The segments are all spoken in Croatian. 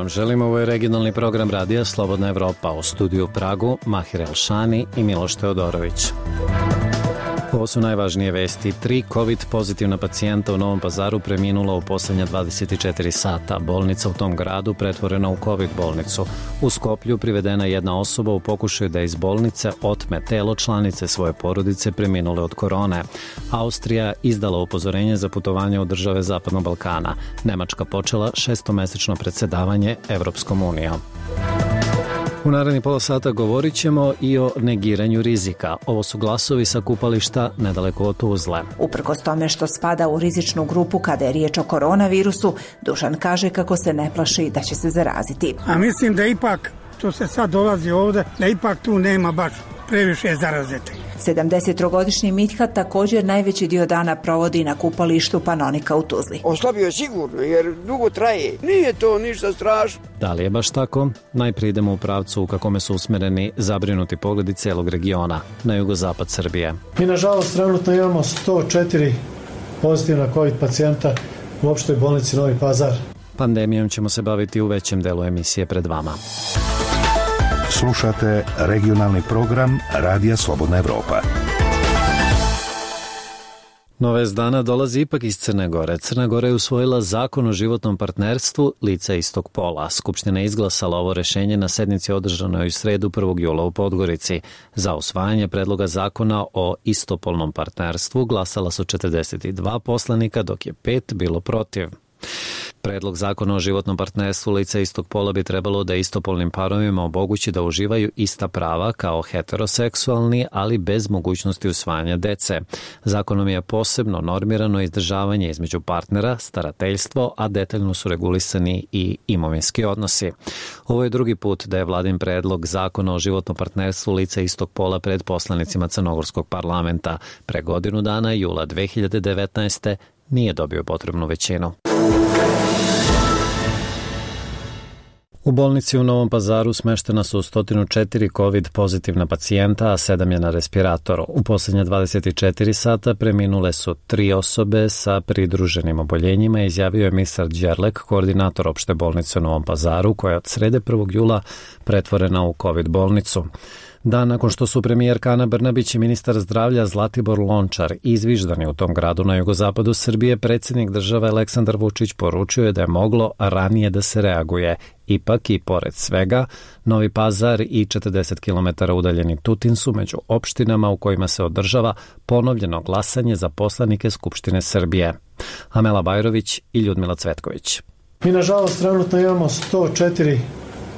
vam želim. Ovo je regionalni program radija Slobodna Evropa. U studiju u Pragu Mahir Elšani i Miloš Teodorović. Ovo su najvažnije vesti. 3 COVID pozitivna pacijenta u Novom Pazaru preminula u posljednja 24 sata. Bolnica u tom gradu pretvorena u COVID bolnicu. U Skoplju privedena jedna osoba u pokušaju da iz bolnice otme telo članice svoje porodice preminule od korone. Austrija izdala upozorenje za putovanje u države Zapadnog Balkana. Nemačka počela 6-mesečno predsjedavanje Evropskom unijom. U narednih pola sata govorit ćemo i o negiranju rizika. Ovo su glasovi sa kupališta nedaleko od Tuzle. Uprkos tome što spada u rizičnu grupu kada je riječ o koronavirusu, Dušan kaže kako se ne plaši da će se zaraziti. A mislim da ipak, to se sad dolazi ovdje, da ipak tu nema baš previše zarazete. 73-godišnji Mithat također najveći dio dana provodi na kupalištu Panonika u Tuzli. Oslabio je sigurno jer dugo traje. Nije to ništa strašno. Da li je baš tako? Najprije idemo u pravcu u kakome su usmjereni zabrinuti pogledi cijelog regiona, na jugozapad Srbije. Mi nažalost trenutno imamo 104 pozitivna COVID pacijenta u opštoj bolnici Novi Pazar. Pandemijom ćemo se baviti u većem delu emisije pred vama. Slušate regionalni program Radija Slobodna Evropa. Nove dana dolazi ipak iz Crne Gore. Crna Gora je usvojila zakon o životnom partnerstvu lica istog pola. Skupština je izglasala ovo rješenje na sednici održanoj u sredu 1. jula u Podgorici. Za usvajanje predloga zakona o istopolnom partnerstvu glasala su 42 poslanika, dok je 5 bilo protiv. Predlog zakona o životnom partnerstvu lica istog pola bi trebalo da istopolnim parovima omogući da uživaju ista prava kao heteroseksualni, ali bez mogućnosti usvajanja dece. Zakonom je posebno normirano izdržavanje između partnera, starateljstvo, a detaljno su regulisani i imovinski odnosi. Ovo je drugi put da je vladin predlog zakona o životnom partnerstvu lica istog pola pred poslanicima Crnogorskog parlamenta. Pre godinu dana, jula 2019. nije dobio potrebnu većinu. U bolnici u Novom Pazaru smeštena su 104 COVID pozitivna pacijenta, a 7 je na respiratoru. U posljednja 24 sata preminule su 3 osobe sa pridruženim oboljenjima, izjavio je Mirsad Đerlek, koordinator opšte bolnice u Novom Pazaru, koja je od srede 1. jula pretvorena u COVID bolnicu. Dan nakon što su premijerka Ana Brnabić i ministar zdravlja Zlatibor Lončar izviždani u tom gradu na jugozapadu Srbije, predsjednik države Aleksandar Vučić poručio je da je moglo ranije da se reaguje. Ipak i pored svega, Novi Pazar i 40 km udaljeni Tutin su među opštinama u kojima se održava ponovljeno glasanje za poslanike Skupštine Srbije. Amela Bajrović i Ljudmila Cvetković. Mi nažalost trenutno imamo 104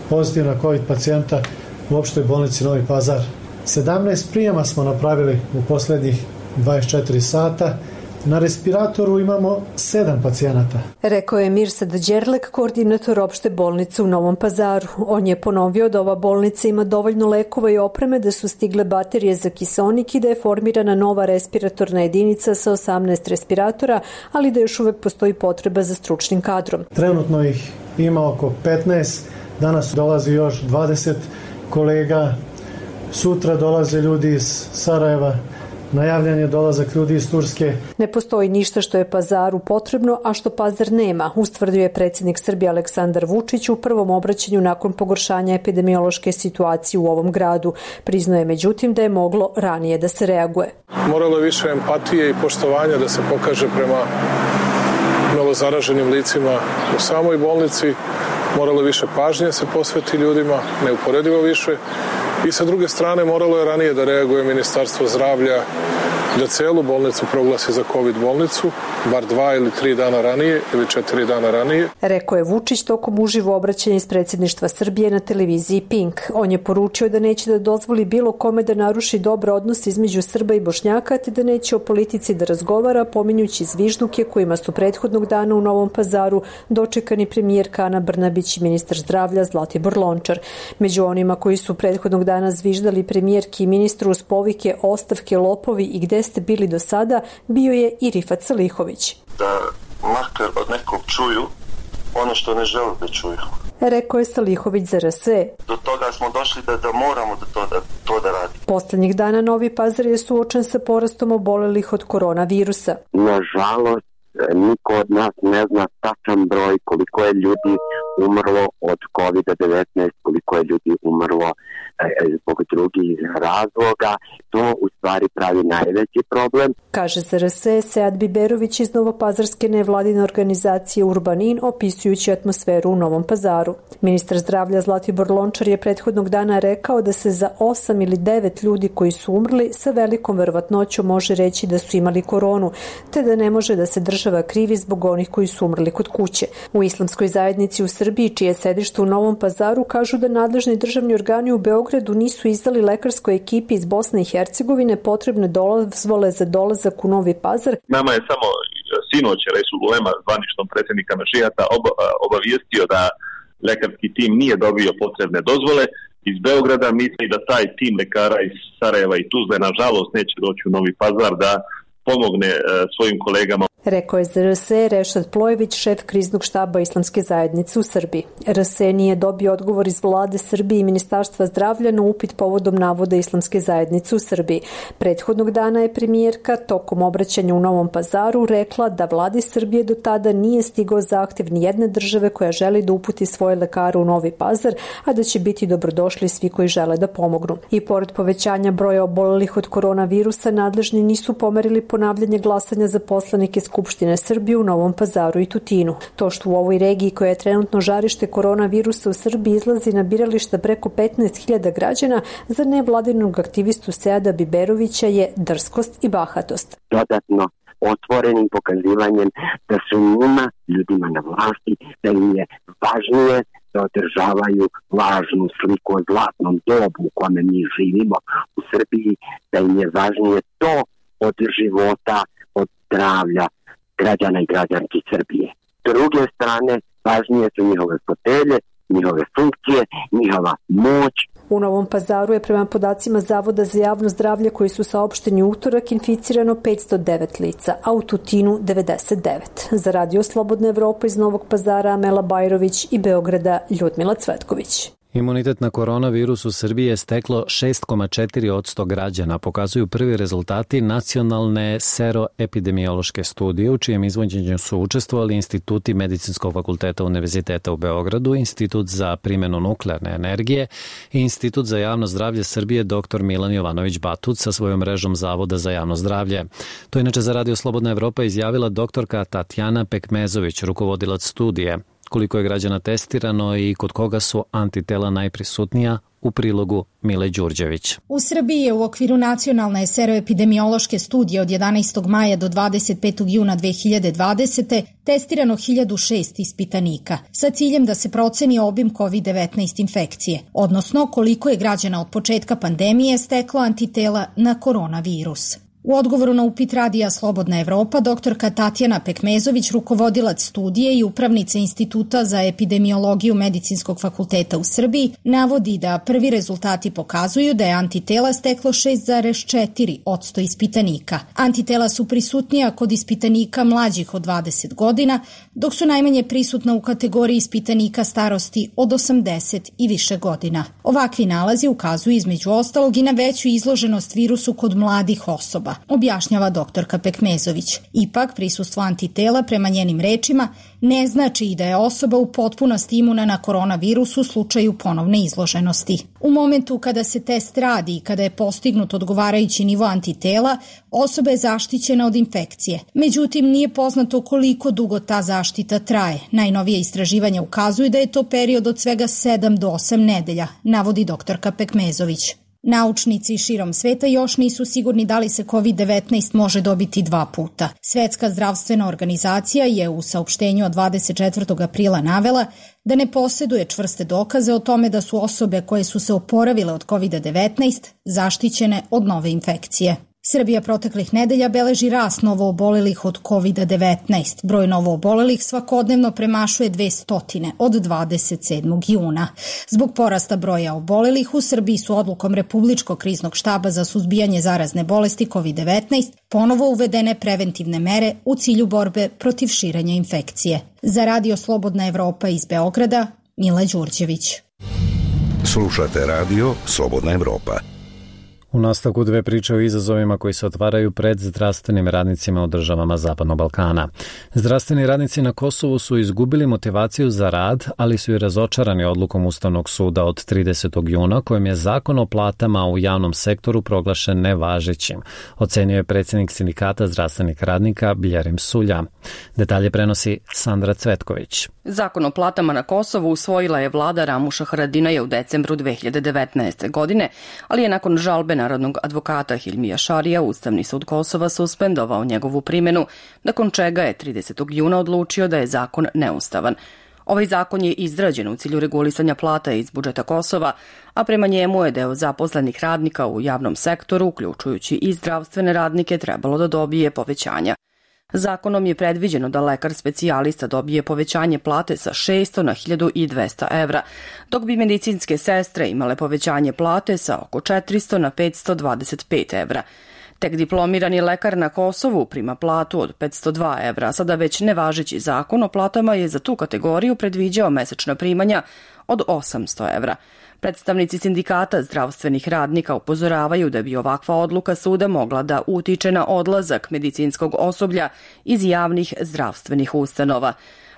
pozitivna COVID pacijenta u opštoj bolnici Novi Pazar. 17 prijema smo napravili u posljednjih 24 sata. Na respiratoru imamo 7 pacijenata. Rekao je Mirsad Đerlek, koordinator opšte bolnice u Novom Pazaru. On je ponovio da ova bolnica ima dovoljno lekova i opreme, da su stigle baterije za kiseonik i da je formirana nova respiratorna jedinica sa 18 respiratora, ali da još uvek postoji potreba za stručnim kadrom. Trenutno ih ima oko 15, danas dolazi još 20 kolega, sutra dolaze ljudi iz Sarajeva, najavljen je dolazak ljudi iz Turske. Ne postoji ništa što je Pazaru potrebno, a što Pazar nema, ustvrdio je predsjednik Srbije Aleksandar Vučić u prvom obraćanju nakon pogoršanja epidemiološke situacije u ovom gradu. Priznao je međutim da je moglo ranije da se reaguje. Moralo je više empatije i poštovanja da se pokaže prema novozaraženim licima u samoj bolnici. Moralo više pažnje se posveti ljudima, neuporedivo više. I sa druge strane moralo je ranije da reaguje Ministarstvo zdravlja, da celu bolnicu proglasi za COVID bolnicu, bar 2 ili 3 dana ranije ili 4 dana ranije. Rekao je Vučić tokom uživo obraćanja iz predsjedništva Srbije na televiziji Pink. On je poručio da neće da dozvoli bilo kome da naruši dobar odnos između Srba i Bošnjaka, te da neće o politici da razgovara, pominjući zvižduke kojima su prethodnog dana u Novom Pazaru dočekani premijerka Ana Brnabić i ministar zdravlja Zlatibor Lončar. Među onima koji su prethodnog dana zviždali premijerki i ministru uz povike ostavke, lopovi i gde ste bili do sada, bio je i Rifat Salihović. Da makar od nekog čuju ono što ne žele da čuju. Rekao je Salihović za RS. Do toga smo došli da moramo to da radimo. Poslednjih dana Novi Pazar je suočen sa porastom obolelih od koronavirusa. Nažalost, niko od nas ne zna tačan broj koliko je ljudi umrlo od COVID-19, koliko je ljudi umrlo zbog drugih razloga. To u stvari pravi najveći problem. Kaže za RS Sead Biberović iz Novopazarske nevladine organizacije Urbanin, opisujući atmosferu u Novom Pazaru. Ministar zdravlja Zlatibor Lončar je prethodnog dana rekao da se za 8 ili 9 ljudi koji su umrli sa velikom verovatnoćom može reći da su imali koronu, te da ne može da se država krivi zbog onih koji su umrli kod kuće. U islamskoj zajednici u Srbiji, čije sedište u Novom Pazaru, kažu da nadležni državni organi u Beogradu nisu izdali lekarskoj ekipi iz Bosne i Hercegovine potrebne dozvole za dolazak u Novi Pazar. Nama je samo sinoć Resul Ulema, zvaničnom predsjednika Mešijata, obavijestio da lekarski tim nije dobio potrebne dozvole iz Beograda. Misli da taj tim lekara iz Sarajeva i Tuzle nažalost neće doći u Novi Pazar da pomogne svojim kolegama. Rekao je za RS Rešad Plojević, šef kriznog štaba Islamske zajednice u Srbiji. RS nije dobio odgovor iz vlade Srbije i Ministarstva zdravlja na upit povodom navoda Islamske zajednice u Srbiji. Prethodnog dana je premijerka tokom obraćanja u Novom Pazaru rekla da vladi Srbije do tada nije stigao zahtjev ni jedne države koja želi da uputi svoje lekare u Novi Pazar, a da će biti dobrodošli svi koji žele da pomognu. I pored povećanja broja obolelih od koronavirusa, nadležni nisu pomerili ponavljanje glasanja za poslanike Skupštine Srbije u Novom Pazaru i Tutinu. To što u ovoj regiji koja je trenutno žarište koronavirusa u Srbiji izlazi na birališta preko 15.000 građana, za nevladinog aktivistu Seada Biberovića je drskost i bahatost. Dodatno otvorenim pokazivanjem da su njima, ljudima na vlasti, da im je važnije da održavaju lažnu sliku o zlatnom dobu u kome mi živimo u Srbiji, da im je važnije to od života, od zdravlja građana i građanki Srbije. S druge strane, važnije su njihove fotelje, njihove funkcije, njihova moć. U Novom Pazaru je prema podacima Zavoda za javno zdravlje koji su saopšteni u utorak inficirano 509 lica, a u Tutinu 99. Za Radio Slobodna Evropa iz Novog Pazara Amela Bajrović i Beograda Ljudmila Cvetković. Imunitet na koronavirus u Srbiji je steklo 6,4% građana, pokazuju prvi rezultati nacionalne seroepidemiološke studije, u čijem izvođenju su učestvovali instituti Medicinskog fakulteta Univerziteta u Beogradu, Institut za primjenu nuklearne energije i Institut za javno zdravlje Srbije dr. Milan Jovanović Batut sa svojom mrežom Zavoda za javno zdravlje. To inače za Radio Slobodna Evropa izjavila doktorka Tatjana Pekmezović, rukovodilac studije. Koliko je građana testirano i kod koga su antitela najprisutnija, u prilogu Mile Đurđević. U Srbiji je u okviru nacionalne seroepidemiološke studije od 11. maja do 25. juna 2020. testirano 1006 ispitanika sa ciljem da se proceni obim COVID-19 infekcije, odnosno koliko je građana od početka pandemije steklo antitela na koronavirus. U odgovoru na upit Radija Slobodna Evropa, doktorka Tatjana Pekmezović, rukovodilac studije i upravnica Instituta za epidemiologiju Medicinskog fakulteta u Srbiji, navodi da prvi rezultati pokazuju da je antitela steklo 6,4% ispitanika. Antitela su prisutnija kod ispitanika mlađih od 20 godina, dok su najmanje prisutna u kategoriji ispitanika starosti od 80 i više godina. Ovakvi nalazi ukazuju između ostalog i na veću izloženost virusu kod mladih osoba, objašnjava doktorka Pekmezović. Ipak, prisustvo antitela, prema njenim rečima, ne znači i da je osoba u potpunosti imuna na koronavirus u slučaju ponovne izloženosti. U momentu kada se test radi i kada je postignut odgovarajući nivo antitela, osoba je zaštićena od infekcije. Međutim, nije poznato koliko dugo ta zaštita traje. Najnovije istraživanja ukazuju da je to period od svega 7 do 8 nedelja, navodi doktorka Pekmezović. Naučnici širom sveta još nisu sigurni da li se COVID-19 može dobiti 2 puta. Svetska zdravstvena organizacija je u saopštenju od 24. aprila navela da ne posjeduje čvrste dokaze o tome da su osobe koje su se oporavile od COVID-19 zaštićene od nove infekcije. Srbija proteklih nedelja beleži rast novoobolelih od COVID-19. Broj novoobolelih svakodnevno premašuje 200 od 27. juna. Zbog porasta broja obolelih u Srbiji su odlukom Republičkog kriznog štaba za suzbijanje zarazne bolesti COVID-19 ponovo uvedene preventivne mere u cilju borbe protiv širenja infekcije. Za Radio Slobodna Evropa iz Beograda, Mila Đurđević. Slušate Radio Slobodna Evropa. U nastavku dve priče o izazovima koji se otvaraju pred zdravstvenim radnicima u državama Zapadnog Balkana. Zdravstveni radnici na Kosovu su izgubili motivaciju za rad, ali su i razočarani odlukom Ustavnog suda od 30. juna kojim je zakon o platama u javnom sektoru proglašen nevažećim, ocenio je predsjednik sindikata zdravstvenih radnika Bljerim Sulja. Detalje prenosi Sandra Cvetković. Zakon o platama na Kosovu usvojila je vlada Ramuša Haradinaja u decembru 2019. godine, ali je nakon žalbe narodnog advokata Hilmija Šarija Ustavni sud Kosova suspendovao njegovu primjenu, nakon čega je 30. juna odlučio da je zakon neustavan. Ovaj zakon je izrađen u cilju regulisanja plata iz budžeta Kosova, a prema njemu je deo zaposlenih radnika u javnom sektoru, uključujući i zdravstvene radnike, trebalo da dobije povećanja. Zakonom je predviđeno da lekar specijalista dobije povećanje plate sa 600 na 1200 evra, dok bi medicinske sestre imale povećanje plate sa oko 400 na 525 evra. Tek diplomirani lekar na Kosovu prima platu od 502 evra, sada već nevažeći zakon o platama je za tu kategoriju predviđao mesečna primanja od 800 evra. Predstavnici sindikata zdravstvenih radnika upozoravaju da bi ovakva odluka suda mogla da utiče na odlazak medicinskog osoblja iz javnih zdravstvenih ustanova.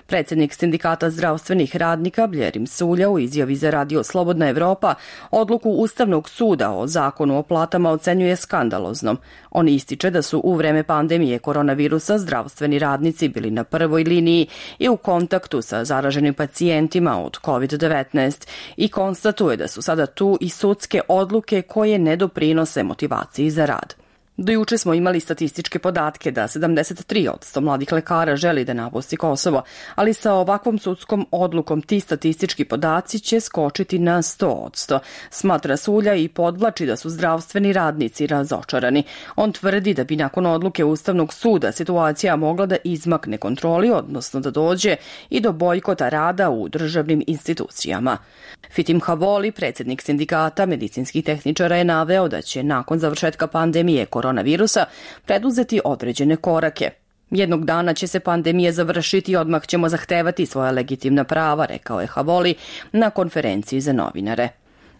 Predsjednik sindikata zdravstvenih radnika Bljerim Sulja u izjavi za radio Slobodna Evropa odluku Ustavnog suda o zakonu o platama ocenjuje skandaloznom. On ističe da su u vreme pandemije koronavirusa zdravstveni radnici bili na prvoj liniji i u kontaktu sa zaraženim pacijentima od COVID-19 i konstatuje da su sada tu i sudske odluke koje ne doprinose motivaciji za rad. Do juče smo imali statističke podatke da 73% mladih lekara želi da napusti Kosovo, ali sa ovakvom sudskom odlukom ti statistički podaci će skočiti na 100%. Smatra Sulja i podvlači da su zdravstveni radnici razočarani. On tvrdi da bi nakon odluke Ustavnog suda situacija mogla da izmakne kontroli, odnosno da dođe i do bojkota rada u državnim institucijama. Fitim Havoli, predsjednik sindikata medicinskih tehničara, je naveo da će nakon završetka pandemije koronavirusa preduzeti određene korake. Jednog dana će se pandemija završiti i odmah ćemo zahtevati svoja legitimna prava, rekao je Havoli na konferenciji za novinare.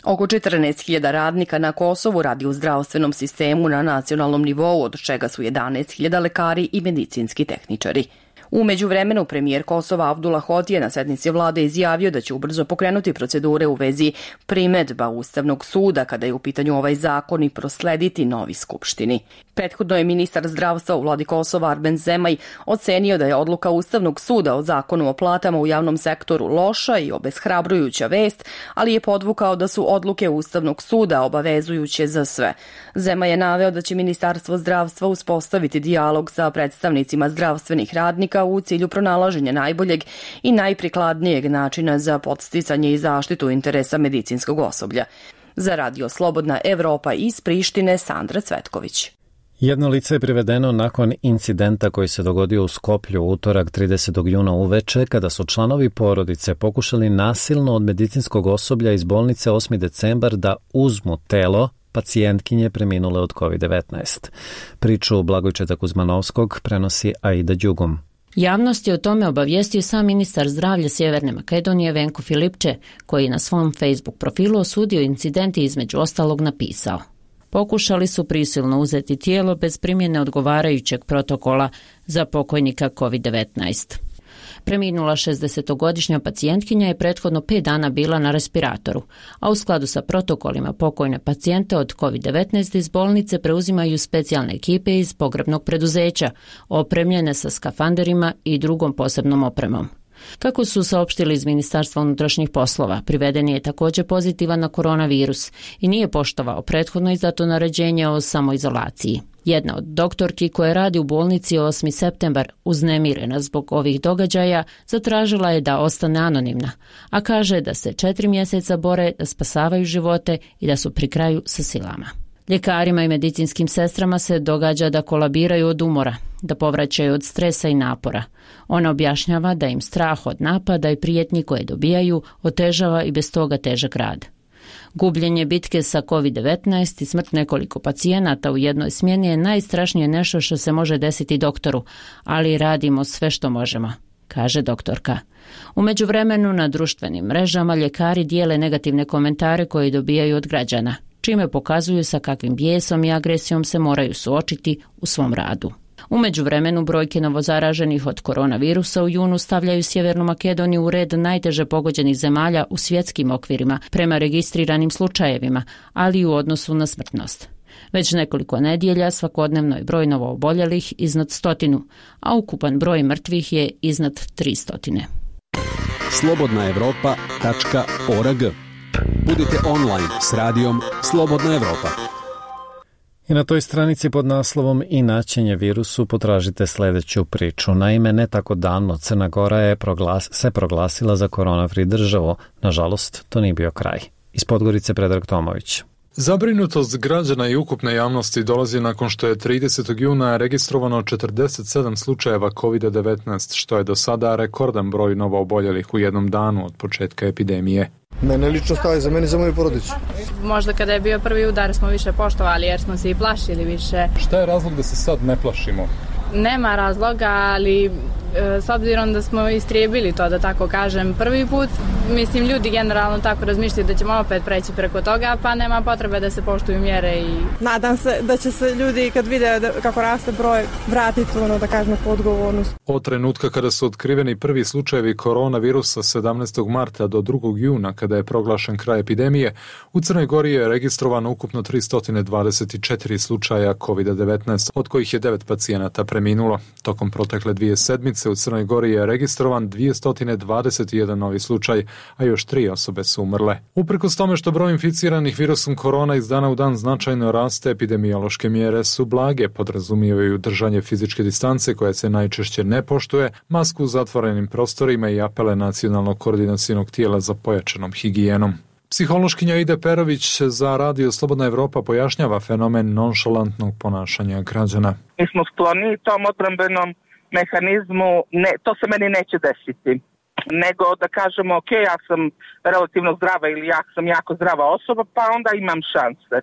Oko 14.000 radnika na Kosovu radi u zdravstvenom sistemu na nacionalnom nivou, od čega su 11.000 lekari i medicinski tehničari. U međuvremenu premijer Kosova Abdullah Hoti je na sednici vlade izjavio da će ubrzo pokrenuti procedure u vezi primedba Ustavnog suda kada je u pitanju ovaj zakon i proslediti novi skupštini. Prethodno je ministar zdravstva u vladi Kosova Arben Zemaj ocenio da je odluka Ustavnog suda o zakonu o platama u javnom sektoru loša i obeshrabrujuća vest, ali je podvukao da su odluke Ustavnog suda obavezujuće za sve. Zemaj je naveo da će Ministarstvo zdravstva uspostaviti dijalog sa predstavnicima zdravstvenih radnika u cilju pronalaženja najboljeg i najprikladnijeg načina za podsticanje i zaštitu interesa medicinskog osoblja. Za radio Slobodna Evropa iz Prištine, Sandra Cvetković. Jedno lice je privedeno nakon incidenta koji se dogodio u Skoplju utorak 30. juna uveče, kada su članovi porodice pokušali nasilno od medicinskog osoblja iz bolnice 8. decembar da uzmu telo pacijentkinje preminule od COVID-19. Priču Blagojčeta Kuzmanovskog prenosi Aida Đugum. Javnost je o tome obavijestio sam ministar zdravlja Sjeverne Makedonije Venko Filipče, koji je na svom Facebook profilu osudio incident i između ostalog napisao: pokušali su prisilno uzeti tijelo bez primjene odgovarajućeg protokola za pokojnika COVID-19. Preminula 60-godišnja pacijentkinja je prethodno 5 dana bila na respiratoru, a u skladu sa protokolima pokojne pacijente od COVID-19 iz bolnice preuzimaju specijalne ekipe iz pogrebnog preduzeća, opremljene sa skafanderima i drugom posebnom opremom. Kako su saopštili iz Ministarstva unutrašnjih poslova, privedeni je također pozitivan na koronavirus i nije poštovao prethodno izdato naređenje o samoizolaciji. Jedna od doktorki koja radi u bolnici 8. septembar, uznemirena zbog ovih događaja, zatražila je da ostane anonimna, a kaže da se 4 mjeseca bore da spasavaju živote i da su pri kraju sa silama. Ljekarima i medicinskim sestrama se događa da kolabiraju od umora, da povraćaju od stresa i napora. Ona objašnjava da im strah od napada i prijetnji koje dobijaju otežava i bez toga težak rad. Gubljenje bitke sa COVID-19 i smrt nekoliko pacijenata u jednoj smjeni je najstrašnije nešto što se može desiti doktoru, ali radimo sve što možemo, kaže doktorka. U međuvremenu na društvenim mrežama ljekari dijele negativne komentare koje dobijaju od građana. čime pokazuju sa kakvim bijesom i agresijom se moraju suočiti u svom radu. U međuvremenu brojke novozaraženih od koronavirusa u junu stavljaju Sjevernu Makedoniju u red najteže pogođenih zemalja u svjetskim okvirima prema registriranim slučajevima, ali i u odnosu na smrtnost. Već nekoliko nedjelja svakodnevno je broj novooboljelih iznad 100, a ukupan broj mrtvih je iznad 300. slobodnaevropa.org. Budite online s radijom Slobodna Evropa. I na toj stranici pod naslovom Inaćenje virusu potražite sljedeću priču. Naime, ne tako davno Crna Gora je se proglasila za korona-free državu. Nažalost, to nije bio kraj. Iz Podgorice Predrag Tomović. Zabrinutost građana i ukupne javnosti dolazi nakon što je 30. juna registrovano 47 slučajeva COVID-19, što je do sada rekordan broj novooboljelih u jednom danu od početka epidemije. Mene lično stavi za mene i za moju porodicu. Možda kada je bio prvi udar smo više poštovali jer smo se i plašili više. Šta je razlog da se sad ne plašimo? Nema razloga, ali s obzirom da smo istrijebili to, da tako kažem, prvi put, mislim, ljudi generalno tako razmišljaju da ćemo opet preći preko toga, pa nema potrebe da se poštuju mjere i... Nadam se da će se ljudi kad vide kako raste broj vratiti da kažemo po odgovornost. Od trenutka kada su otkriveni prvi slučajevi koronavirusa 17. marta do 2. juna, kada je proglašen kraj epidemije, u Crnoj Gori je registrovano ukupno 324 slučaja COVID-19, od kojih je 9 pacijenata preminulo. Tokom protekle 2 sedmice u Crnoj Gori je registrovan 221 novi slučaj, a još 3 osobe su umrle. Uprkos tome što broj inficiranih virusom korona iz dana u dan značajno raste, epidemiološke mjere su blage, podrazumijevaju držanje fizičke distance koje se najčešće ne poštuje, masku u zatvorenim prostorima i apele nacionalnog koordinacionog tijela za pojačanom higijenom. Psihološkinja Ida Perović za Radio Slobodna Evropa pojašnjava fenomen nonšalantnog ponašanja građana. Mi smo skloni tom odbrambenom mehanizmu, to se meni neće desiti, nego da kažemo ok, ja sam relativno zdrava ili ja sam jako zdrava osoba, pa onda imam šanse.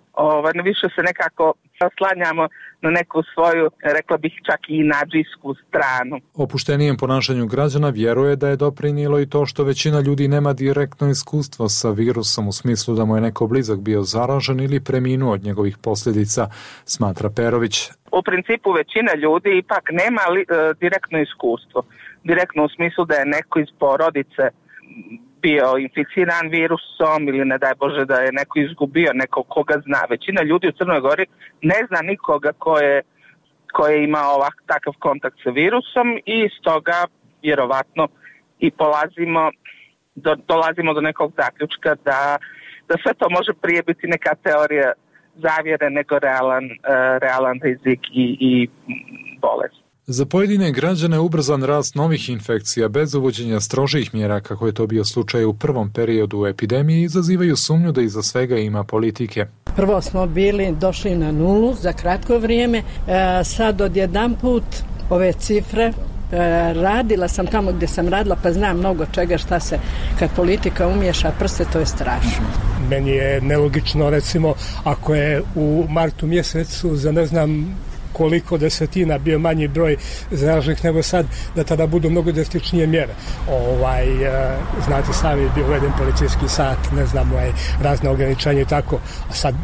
Više se nekako oslanjamo na neku svoju, rekla bih čak i nadžijsku stranu. Opuštenijem ponašanju građana vjeruje da je doprinijelo i to što većina ljudi nema direktno iskustvo sa virusom u smislu da mu je neko blizak bio zaražen ili preminuo od njegovih posljedica, smatra Perović. U principu većina ljudi ipak nema direktno iskustvo. Direktno u smislu da je neko iz porodice bio inficiran virusom ili ne daj Bože da je neko izgubio nekog koga zna. Većina ljudi u Crnoj Gori ne zna nikoga ko je imao takav kontakt sa virusom i stoga vjerovatno i dolazimo do nekog zaključka da sve to može prije biti neka teorija zavjere nego realan rizik i bolest. Za pojedine građane ubrzan rast novih infekcija bez uvođenja strožih mjera, kako je to bio slučaj u prvom periodu epidemije, izazivaju sumnju da iza svega ima politike. Prvo smo došli na nulu za kratko vrijeme, sad odjedanput ove cifre, radila sam tamo gdje sam radila pa znam mnogo čega šta se kad politika umješa prste, to je strašno. Meni je nelogično, recimo, ako je u martu mjesecu za ne znam koliko desetina bio manji broj zaraženih nego sad, da tada budu mnogo drastičnije mjere. Znate sami, bio uveden policijski sat, ne znam, razne ograničenja i tako, a sad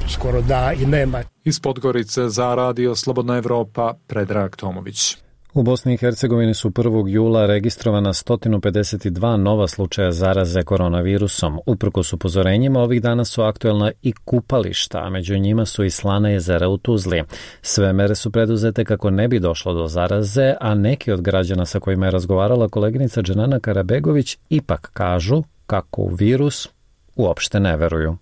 skoro da i nema. Iz Podgorice za Radio Slobodna Evropa, Predrag Tomović. U Bosni i Hercegovini su 1. jula registrovana 152 nova slučaja zaraze koronavirusom. Uprkos upozorenjima, ovih dana su aktuelna i kupališta, a među njima su i slana jezera u Tuzli. Sve mere su preduzete kako ne bi došlo do zaraze, a neki od građana sa kojima je razgovarala koleginica Dženana Karabegović ipak kažu kako u virus uopšte ne veruju.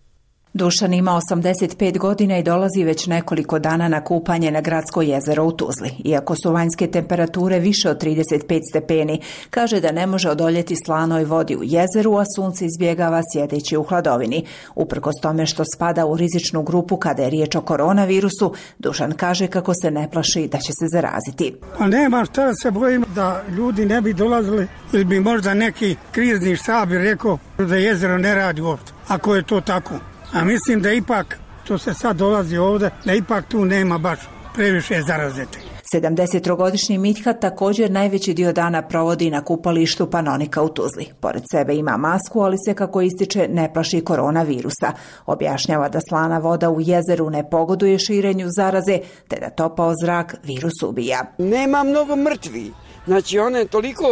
Dušan ima 85 godina i dolazi već nekoliko dana na kupanje na gradsko jezero u Tuzli. Iako su vanjske temperature više od 35 stepeni, kaže da ne može odoljeti slanoj vodi u jezeru, a sunce izbjegava sjedeći u hladovini. Uprkos tome što spada u rizičnu grupu kada je riječ o koronavirusu, Dušan kaže kako se ne plaši da će se zaraziti. Pa nema šta se bojim da ljudi ne bi dolazili ili bi možda neki krizni štab rekao da jezero ne radi uopšte, ako je to tako. A mislim da ipak, to se sad dolazi ovdje, da ipak tu nema baš previše zarazete. 73-godišnji Mithat također najveći dio dana provodi na kupalištu Panonika u Tuzli. Pored sebe ima masku, ali se, kako ističe, ne plaši koronavirusa. Objašnjava da slana voda u jezeru ne pogoduje širenju zaraze, te da topao zrak virus ubija. Nema mnogo mrtvi. Znači, on je toliko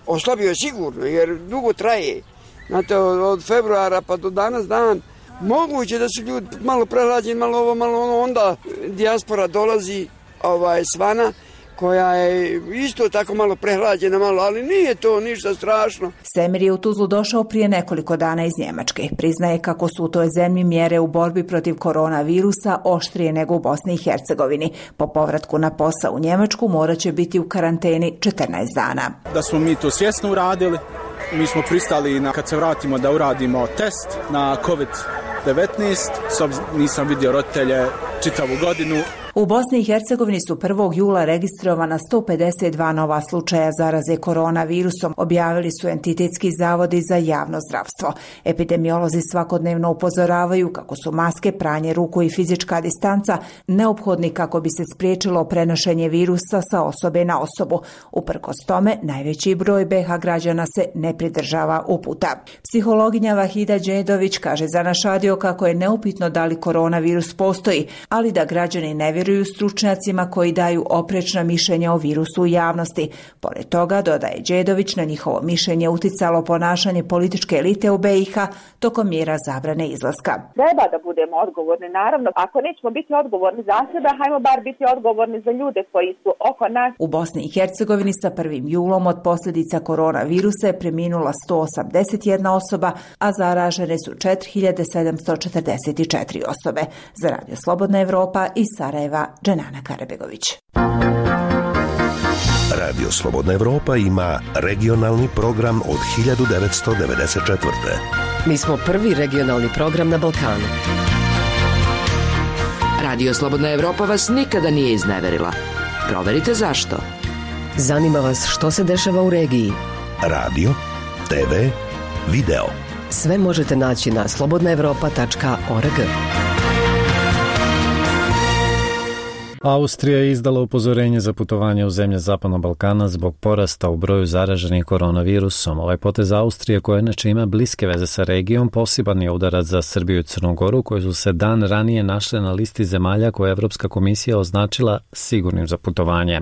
oslabio je sigurno, jer dugo traje. Znate, od februara pa do danas dan, moguće da su ljudi malo prehlađeni, malo ovo, malo ono, onda dijaspora dolazi svana, koja je isto tako malo prehlađena, ali nije to ništa strašno. Semir je u Tuzlu došao prije nekoliko dana iz Njemačke. Priznaje kako su u toj zemlji mjere u borbi protiv koronavirusa oštrije nego u Bosni i Hercegovini. Po povratku na posao u Njemačku morat će biti u karanteni 14 dana. Da smo mi to svjesno uradili, mi smo pristali kad se vratimo da uradimo test na COVID-19, nisam vidio roditelje čitavu godinu. U Bosni i Hercegovini su 1. jula registrovana 152 nova slučaja zaraze koronavirusom, objavili su entitetski zavodi za javno zdravstvo. Epidemiolozi svakodnevno upozoravaju kako su maske, pranje ruku i fizička distanca neophodni kako bi se spriječilo prenošenje virusa sa osobe na osobu. Uprkos tome, najveći broj BiH građana se ne pridržava uputa. Psihologinja Vahida Đedović kaže za naš radio kako je neupitno da li koronavirus postoji, ali da građani ne vjeruju stručnjacima koji daju oprečna mišljenja o virusu u javnosti. Pored toga, dodaje Đedović, na njihovo mišljenje uticalo ponašanje političke elite u BiH tokom mjera zabrane izlaska. Treba da budemo odgovorni, naravno. Ako nećemo biti odgovorni za sebe, hajmo bar biti odgovorni za ljude koji su oko nas. U Bosni i Hercegovini sa 1. julom od posljedica koronavirusa je preminula 181 osoba, a zaražene su 4744 osobe. Za Radio Slobodna Evropa iz Sarajeva, Dženana Karabegović. Radio Slobodna Evropa ima regionalni program od 1994. Mi smo prvi regionalni program na Balkanu. Radio Slobodna Evropa vas nikada nije izneverila. Proverite zašto. Zanima vas što se dešava u regiji. Radio, TV, video. Sve možete naći na slobodnaevropa.org. Austrija je izdala upozorenje za putovanje u zemlje Zapadnog Balkana zbog porasta u broju zaraženih koronavirusom. Ovaj potez Austrije, koja inače ima bliske veze sa regijom, poseban je udarac za Srbiju i Crnu Goru, koje su se dan ranije našle na listi zemalja koje je Evropska komisija označila sigurnim za putovanje.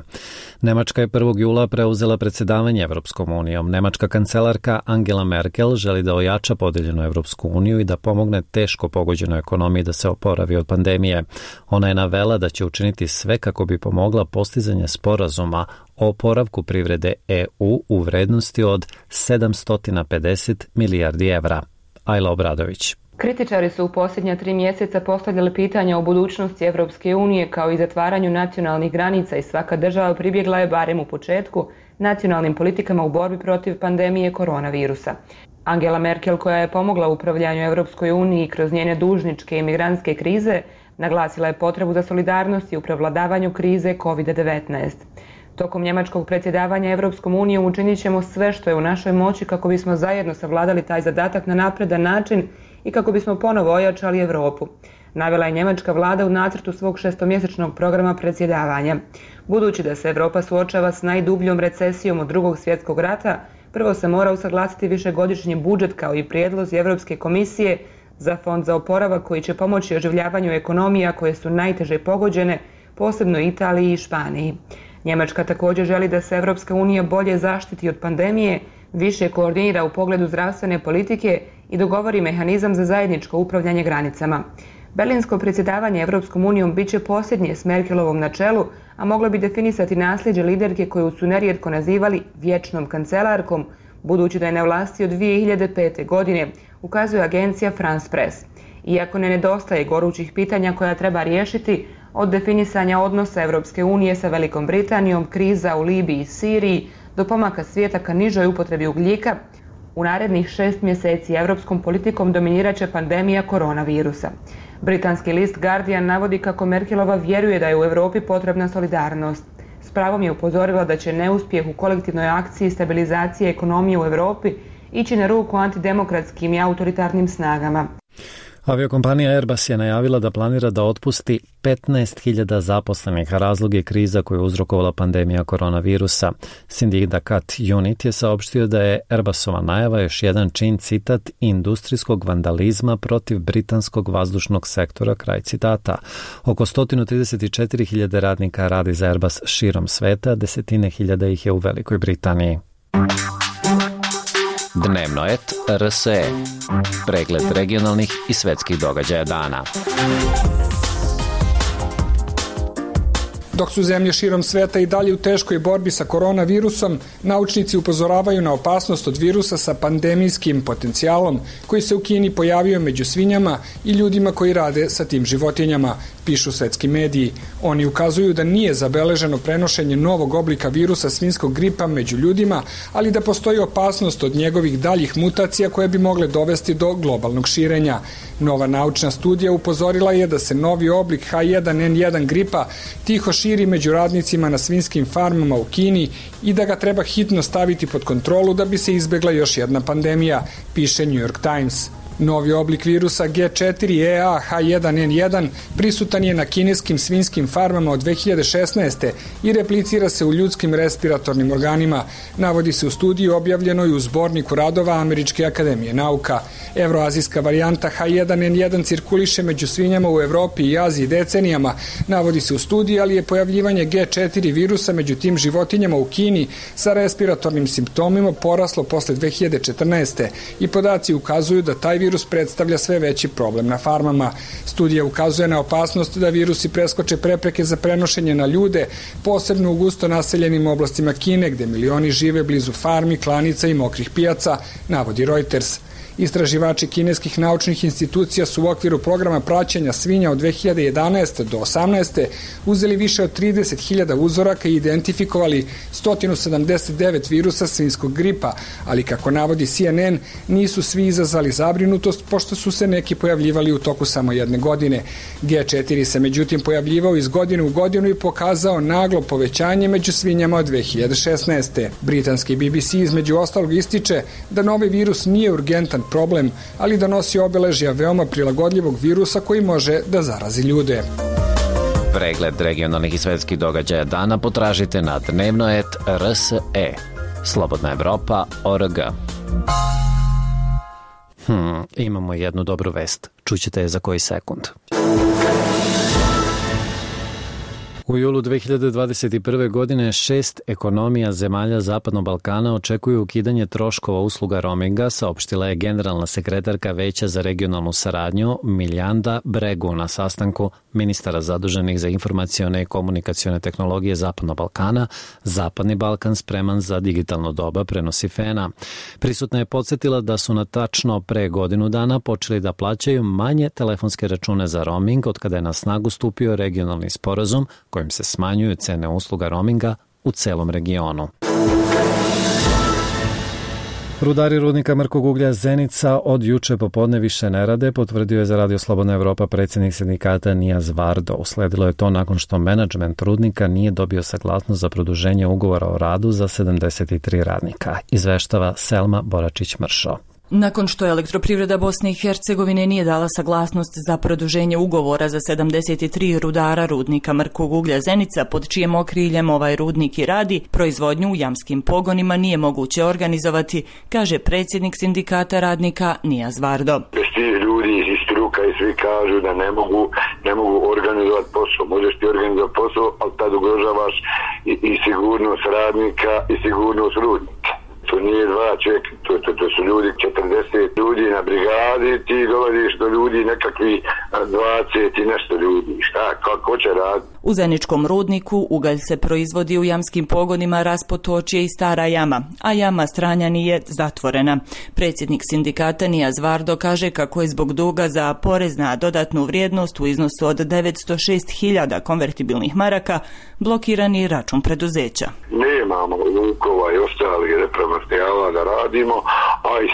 Nemačka je 1. jula preuzela predsjedavanje Evropskom unijom. Nemačka kancelarka Angela Merkel želi da ojača podeljenu Evropsku uniju i da pomogne teško pogođenoj ekonomiji da se oporavi od pandemije. Ona je navela da će učiniti sve kako bi pomogla postizanje sporazuma o oporavku privrede EU u vrednosti od 750 milijardi evra. Ajla Obradović. Kritičari su u posljednja 3 mjeseca postavljali pitanja o budućnosti Evropske unije kao i zatvaranju nacionalnih granica i svaka država pribjegla je, barem u početku, nacionalnim politikama u borbi protiv pandemije koronavirusa. Angela Merkel, koja je pomogla u upravljanju Evropskoj uniji kroz njene dužničke i migrantske krize, naglasila je potrebu za solidarnost i u prevladavanju krize COVID-19. Tokom njemačkog predsjedavanja Evropskom unijom učinit ćemo sve što je u našoj moći kako bismo zajedno savladali taj zadatak na napredan način i kako bismo ponovo ojačali Europu, navela je njemačka vlada u nacrtu svog 6-mjesečnog programa predsjedavanja. Budući da se Europa suočava s najdubljom recesijom od Drugog svjetskog rata, prvo se mora usaglasiti višegodišnji budžet kao i prijedlozi Europske komisije za fond za oporavak koji će pomoći oživljavanju ekonomija koje su najteže pogođene, posebno Italiji i Španiji. Njemačka također želi da se Evropska unija bolje zaštiti od pandemije, više koordinira u pogledu zdravstvene politike i dogovori mehanizam za zajedničko upravljanje granicama. Berlinsko predsjedavanje Evropskom unijom bit će posljednje s Merkelovom na čelu, a moglo bi definisati nasljeđe liderke koju su nerijetko nazivali vječnom kancelarkom, budući da je na vlasti od 2005. godine, ukazuje agencija France Press. Iako ne nedostaje gorućih pitanja koja treba riješiti, od definisanja odnosa Evropske unije sa Velikom Britanijom, kriza u Libiji i Siriji, do pomaka svijeta ka nižoj upotrebi ugljika, u narednih 6 mjeseci evropskom politikom dominirat će pandemija koronavirusa. Britanski list Guardian navodi kako Merkelova vjeruje da je u Europi potrebna solidarnost. S pravom je upozorila da će neuspjeh u kolektivnoj akciji stabilizacije ekonomije u Europi ići na ruku antidemokratskim i autoritarnim snagama. Aviokompanija Airbus je najavila da planira da otpusti 15.000 zaposlenih, a razlog je kriza koju je uzrokovala pandemija koronavirusa. Sindikat UNIT je saopštio da je Airbusova najava još jedan čin, citat, industrijskog vandalizma protiv britanskog vazdušnog sektora, kraj citata. Oko 134.000 radnika radi za Airbus širom sveta, desetine hiljada ih je u Velikoj Britaniji. Dnevno et RSE. Pregled regionalnih i svetskih događaja dana. Dok su zemlje širom sveta i dalje u teškoj borbi sa koronavirusom, naučnici upozoravaju na opasnost od virusa sa pandemijskim potencijalom koji se u Kini pojavio među svinjama i ljudima koji rade sa tim životinjama, pišu svetski mediji. Oni ukazuju da nije zabeleženo prenošenje novog oblika virusa svinjskog gripa među ljudima, ali da postoji opasnost od njegovih daljih mutacija koje bi mogle dovesti do globalnog širenja. Nova naučna studija upozorila je da se novi oblik H1N1 gripa tiho širi među radnicima na svinjskim farmama u Kini i da ga treba hitno staviti pod kontrolu da bi se izbegla još jedna pandemija, piše New York Times. Novi oblik virusa G4EA H1N1 prisutan je na kineskim svinjskim farmama od 2016. i replicira se u ljudskim respiratornim organima, navodi se u studiji objavljenoj u zborniku radova Američke akademije nauka. Evroazijska varijanta H1N1 cirkuliše među svinjama u Evropi i Aziji decenijama, navodi se u studiji, ali je pojavljivanje G4 virusa među tim životinjama u Kini sa respiratornim simptomima poraslo posle 2014. i podaci ukazuju da taj virus predstavlja sve veći problem na farmama. Studija ukazuje na opasnost da virusi preskoče prepreke za prenošenje na ljude, posebno u gusto naseljenim oblastima Kine, gde milioni žive blizu farmi, klanica i mokrih pijaca, navodi Reuters. Istraživači kineskih naučnih institucija su u okviru programa praćenja svinja od 2011. do 2018. uzeli više od 30.000 uzoraka i identifikovali 179 virusa svinjskog gripa, ali kako navodi CNN, nisu svi izazvali zabrinutost, pošto su se neki pojavljivali u toku samo jedne godine. G4 se međutim pojavljivao iz godine u godinu i pokazao naglo povećanje među svinjama od 2016. Britanski BBC između ostalog ističe da novi virus nije urgentan problem, ali da nosi obeležja veoma prilagodljivog virusa koji može da zarazi ljude. Pregled regionalnih i svetskih događaja dana potražite na dnevnoet.rse. Slobodna Evropa.org. Imamo jednu dobru vest. Čućete je za koji sekund. U julu 2021. godine 6 ekonomija zemalja Zapadnog Balkana očekuju ukidanje troškova usluga roaminga, saopštila je generalna sekretarka Veća za regionalnu saradnju Miljanda Bregu na sastanku ministara zaduženih za informacione i komunikacione tehnologije Zapadnog Balkana. Zapadni Balkan spreman za digitalno doba, prenosi FENA. Prisutna je podsjetila da su na tačno pre godinu dana počeli da plaćaju manje telefonske račune za roaming od kada je na snagu stupio regionalni sporazum kojim se smanjuju cene usluga roaminga u celom regionu. Rudari rudnika mrkog uglja Zenica od juče popodne više ne rade, potvrdio je za Radio Slobodna Evropa predsjednik sindikata Nijaz Vardo. Usledilo je to nakon što menadžment rudnika nije dobio saglasnost za produženje ugovora o radu za 73 radnika, izveštava Selma Boračić-Mršo. Nakon što Elektroprivreda Bosne i Hercegovine nije dala saglasnost za produženje ugovora za 73 rudara rudnika mrkog uglja Zenica, pod čijem okriljem ovaj rudnik i radi, proizvodnju u jamskim pogonima nije moguće organizovati, kaže predsjednik sindikata radnika Nijaz Vardo. Bez tih ljudi iz struka i svi kažu da ne mogu organizovati posao. Možeš ti organizovati posao, ali tad ugrožavaš i sigurnost radnika i sigurnost rudnika. To nije dva čovjeka, to su ljudi, 40 ljudi na brigadi, ti dolaziš do ljudi nekakvi 20 i nešto ljudi. Šta, kako će raditi? U Zeničkom rudniku ugalj se proizvodi u jamskim pogonima Raspotočje i Stara jama, a jama Stranjani je zatvorena. Predsjednik sindikata Nijaz Vardo kaže kako je zbog duga za porez na dodatnu vrijednost u iznosu od 906.000 konvertibilnih maraka blokirani račun preduzeća. Nemamo lukova i ostalih repromaterijala da radimo, a i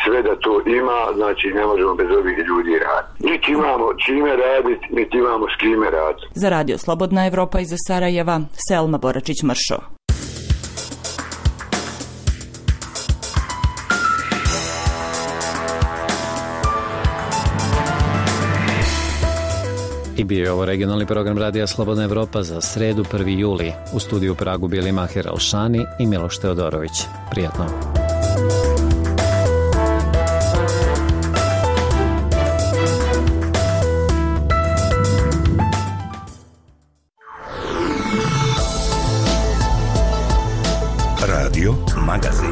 sve da to ima, znači ne možemo bez ovih ljudi raditi. Niti imamo čime raditi, niti imamo s kime raditi. Za Radio Slobodna Evropa iz Sarajeva, Selma Boračić-Mršo. I bio je ovo regionalni program Radija Slobodna Evropa za sredu 1. juli. U studiju u Pragu bili Mahir Alšani i Miloš Teodorović. Prijatno. Radio Magazin.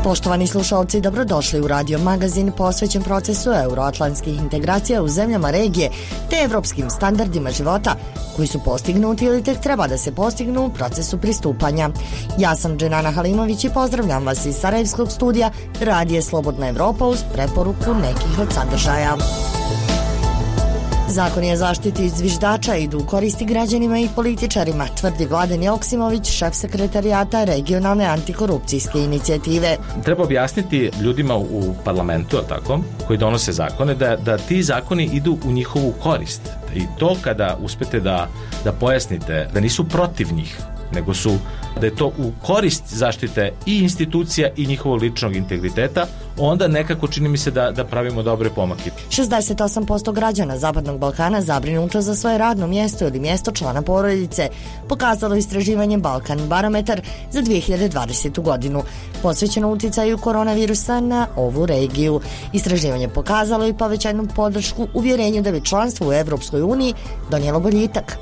Poštovani slušalci, dobrodošli u Radio Magazin posvećen procesu euroatlantskih integracija u zemljama regije te evropskim standardima života koji su postignuti ili tek treba da se postignu u procesu pristupanja. Ja sam Dženana Halimović i pozdravljam vas iz Sarajevskog studija Radije Slobodna Evropa uz preporuku nekih od sadržaja. Zakoni o zaštiti zviždača idu u koristi građanima i političarima, tvrdi Vladan Joksimović, šef sekretarijata regionalne antikorupcijske inicijative. Treba objasniti ljudima u parlamentu, tako, koji donose zakone, da ti zakoni idu u njihovu korist. I to kada uspete da pojasnite da nisu protiv njih, nego da je to u korist zaštite i institucija i njihovog ličnog integriteta, onda nekako čini mi se da pravimo dobre pomake. 68% građana Zapadnog Balkana zabrinuto za svoje radno mjesto ili mjesto člana porodice, pokazalo istraživanje Balkan Barometar za 2020. godinu, posvećeno uticaju koronavirusa na ovu regiju. Istraživanje pokazalo i povećanu podršku uvjerenju da bi članstvo u Evropskoj uniji donijelo boljitak.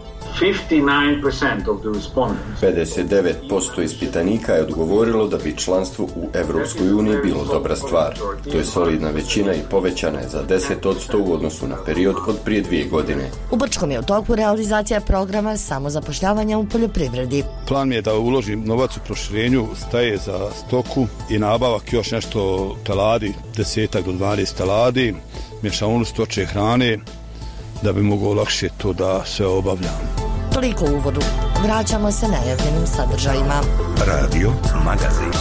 59% ispitanika je odgovorilo da bi članstvo u Evropskoj uniji bilo dobra stvar. To je solidna većina i povećana je za 10% u odnosu na period od prije 2 godine. U Brčkom je u toku realizacija programa samozapošljavanja u poljoprivredi. Plan mi je da uložim novac u proširenju staje za stoku i nabavak još nešto teladi, 10 do 12 teladi, mješavinu stočje hrane, da bi mogao lakše to da sve obavljam. Toliko u uvodu. Vraćamo se najavljenim sadržajima. Radio Magazin.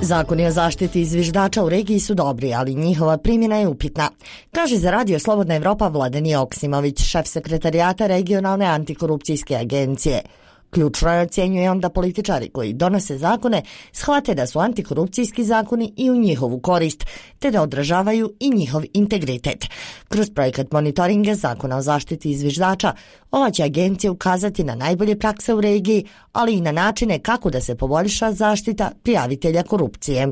Zakoni o zaštiti zviždača u regiji su dobri, ali njihova primjena je upitna, kaže za Radio Slobodna Evropa Vladan Joksimović, šef sekretarijata regionalne antikorupcijske agencije. Ključno je, ocjenjuje on, da političari koji donose zakone shvate da su antikorupcijski zakoni i u njihovu korist, te da odražavaju i njihov integritet. Kroz projekat monitoringa zakona o zaštiti zviždača, ova će agencija ukazati na najbolje prakse u regiji, ali i na načine kako da se poboljša zaštita prijavitelja korupcije.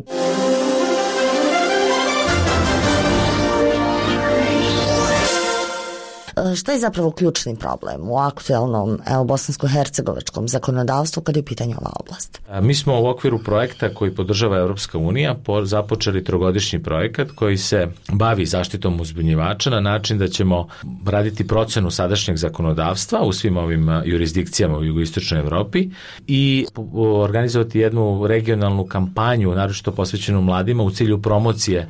Šta je zapravo ključni problem u aktuelnom bosansko-hercegovačkom zakonodavstvu kada je u pitanju ova oblast? Mi smo u okviru projekta koji podržava Europska unija započeli 3-godišnji projekat koji se bavi zaštitom uzbunjivača na način da ćemo raditi procenu sadašnjeg zakonodavstva u svim ovim jurisdikcijama u jugoistočnoj Evropi i organizovati jednu regionalnu kampanju, naročito posvećenu mladima, u cilju promocije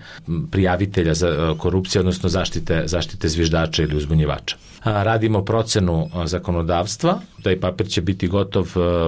prijavitelja za korupciju, odnosno zaštite zviždača ili uzbunjivača. Radimo procenu zakonodavstva, taj papir će biti gotov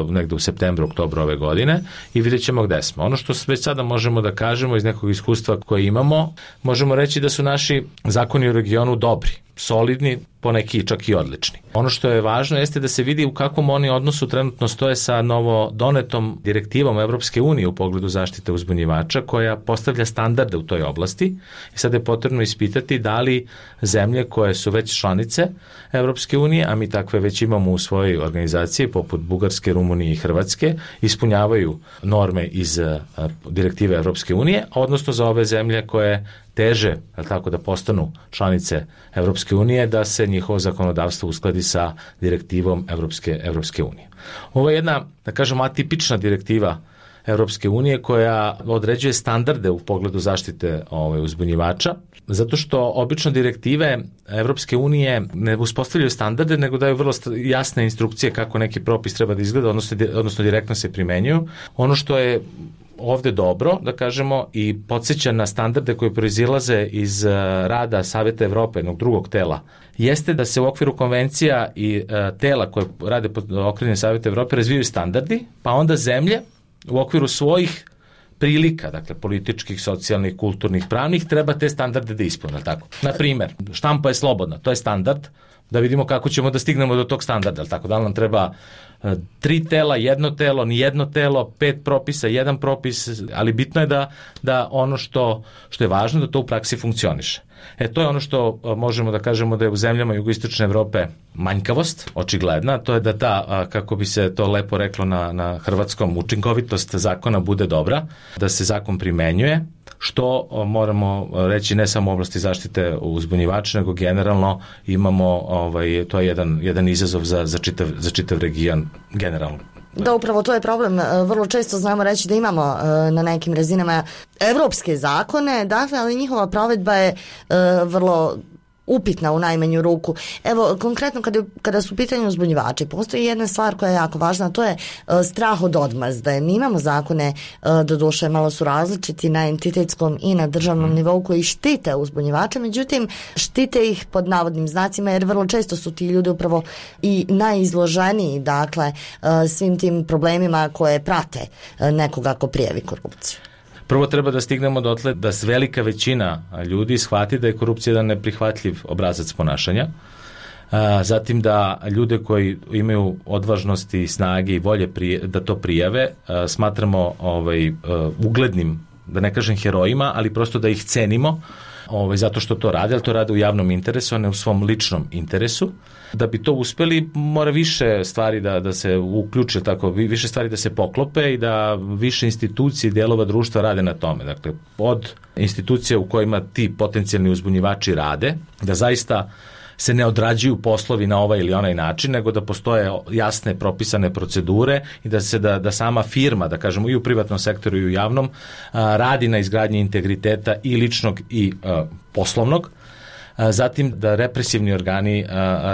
negde u septembru, oktobru ove godine i vidjet ćemo gde smo. Ono što već sada možemo da kažemo iz nekog iskustva koje imamo, možemo reći da su naši zakoni u regionu dobri, solidni, poneki čak i odlični. Ono što je važno jeste da se vidi u kakvom oni odnosu trenutno stoje sa novo donetom direktivom Evropske unije u pogledu zaštite uzbunjivača koja postavlja standarde u toj oblasti i sad je potrebno ispitati da li zemlje koje su već članice Evropske unije, a mi takve već imamo u svojoj organizaciji poput Bugarske, Rumunije i Hrvatske, ispunjavaju norme iz direktive Evropske unije, odnosno za ove zemlje koje teže, tako da postanu članice Evropske unije, da se njihovo zakonodavstvo uskladi sa direktivom Evropske unije. Ovo je jedna, da kažemo, atipična direktiva Evropske unije koja određuje standarde u pogledu zaštite uzbunjivača, zato što obično direktive Evropske unije ne uspostavljaju standarde, nego daju vrlo jasne instrukcije kako neki propis treba da izgleda, odnosno direktno se primenjuju. Ono što je ovde dobro, da kažemo, i podsjeća na standarde koje proizilaze iz rada Saveta Evrope, jednog drugog tela, jeste da se u okviru konvencija i tela koje rade pod okriljem Saveta Evrope razvijaju standardi, pa onda zemlje u okviru svojih prilika, dakle političkih, socijalnih, kulturnih, pravnih, treba te standarde da ispune, tako. Na primer, štampa je slobodna, to je standard, da vidimo kako ćemo da stignemo do tog standarda, tako da li nam treba 3 tela, 1 telo, ni 1 telo, 5 propisa, 1 propis, ali bitno je da ono što je važno, da to u praksi funkcioniše. To je ono što možemo da kažemo da je u zemljama jugoistočne Evrope manjkavost, očigledna, to je da ta, kako bi se to lepo reklo na hrvatskom, učinkovitost zakona bude dobra, da se zakon primenjuje, što moramo reći ne samo u oblasti zaštite uzbunjivača, nego generalno imamo, to je jedan izazov za čitav region generalno. Da, upravo to je problem. Vrlo često znamo reći da imamo na nekim razinama evropske zakone, dakle, ali njihova provedba je vrlo upitna u najmanju ruku. Evo, konkretno kada su u pitanju uzbunjivači, postoji jedna stvar koja je jako važna, to je strah od odmazde. Mi imamo zakone, doduše malo su različiti na entitetskom i na državnom nivou koji štite uzbunjivače, međutim štite ih pod navodnim znacima jer vrlo često su ti ljudi upravo i najizloženiji, dakle, svim tim problemima koje prate nekoga ko prijavi korupciju. Prvo treba da stignemo dotle da velika većina ljudi shvati da je korupcija jedan neprihvatljiv obrazac ponašanja. Zatim da ljude koji imaju odvažnosti, snage i volje da to prijave smatramo uglednim, da ne kažem herojima, ali prosto da ih cenimo zato što to rade, ali to rade u javnom interesu, a ne u svom ličnom interesu. Da bi to uspeli, mora više stvari da se uključe, tako, više stvari da se poklope i da više institucije i dijelova društva rade na tome. Dakle, od institucija u kojima ti potencijalni uzbunjivači rade, da zaista se ne odrađuju poslovi na ovaj ili onaj način, nego da postoje jasne propisane procedure i da sama firma, da kažemo i u privatnom sektoru i u javnom, radi na izgradnji integriteta i ličnog i poslovnog. Zatim da represivni organi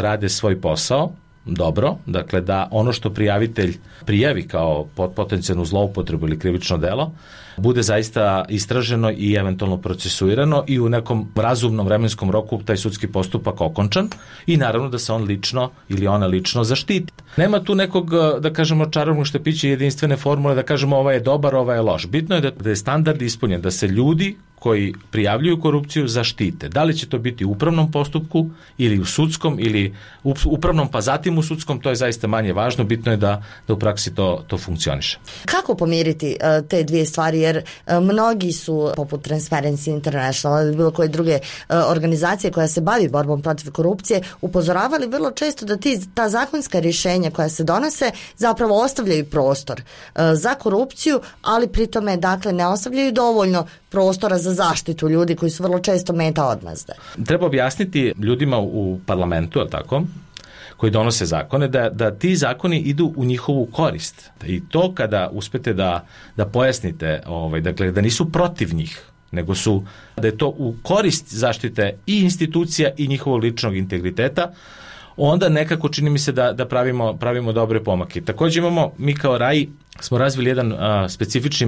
rade svoj posao dobro, dakle da ono što prijavitelj prijavi kao potencijalnu zloupotrebu ili krivično delo bude zaista istraženo i eventualno procesuirano i u nekom razumnom vremenskom roku taj sudski postupak okončan i naravno da se on lično ili ona lično zaštiti. Nema tu nekog, da kažemo, čarobnog štapića jedinstvene formule da kažemo ovaj je dobar, ovaj je loš. Bitno je da je standard ispunjen, da se ljudi koji prijavljuju korupciju zaštite. Da li će to biti u upravnom postupku ili u sudskom ili upravnom pa zatim u sudskom, to je zaista manje važno, bitno je da u praksi to funkcioniše. Kako pomiriti te dvije stvari, jer mnogi su, poput Transparency International ili bilo koje druge organizacije koja se bavi borbom protiv korupcije, upozoravali vrlo često da ta zakonska rješenja koja se donose zapravo ostavljaju prostor za korupciju, ali pri tome dakle ne ostavljaju dovoljno prostora za zaštitu ljudi koji su vrlo često meta odmazde. Treba objasniti ljudima u parlamentu, je li tako, koji donose zakone, da ti zakoni idu u njihovu korist. I to kada uspete da pojasnite, dakle, da nisu protiv njih, nego da je to u korist zaštite i institucija i njihovog ličnog integriteta, onda nekako čini mi se da pravimo dobre pomake. Također mi kao RAI smo razvili jedan specifični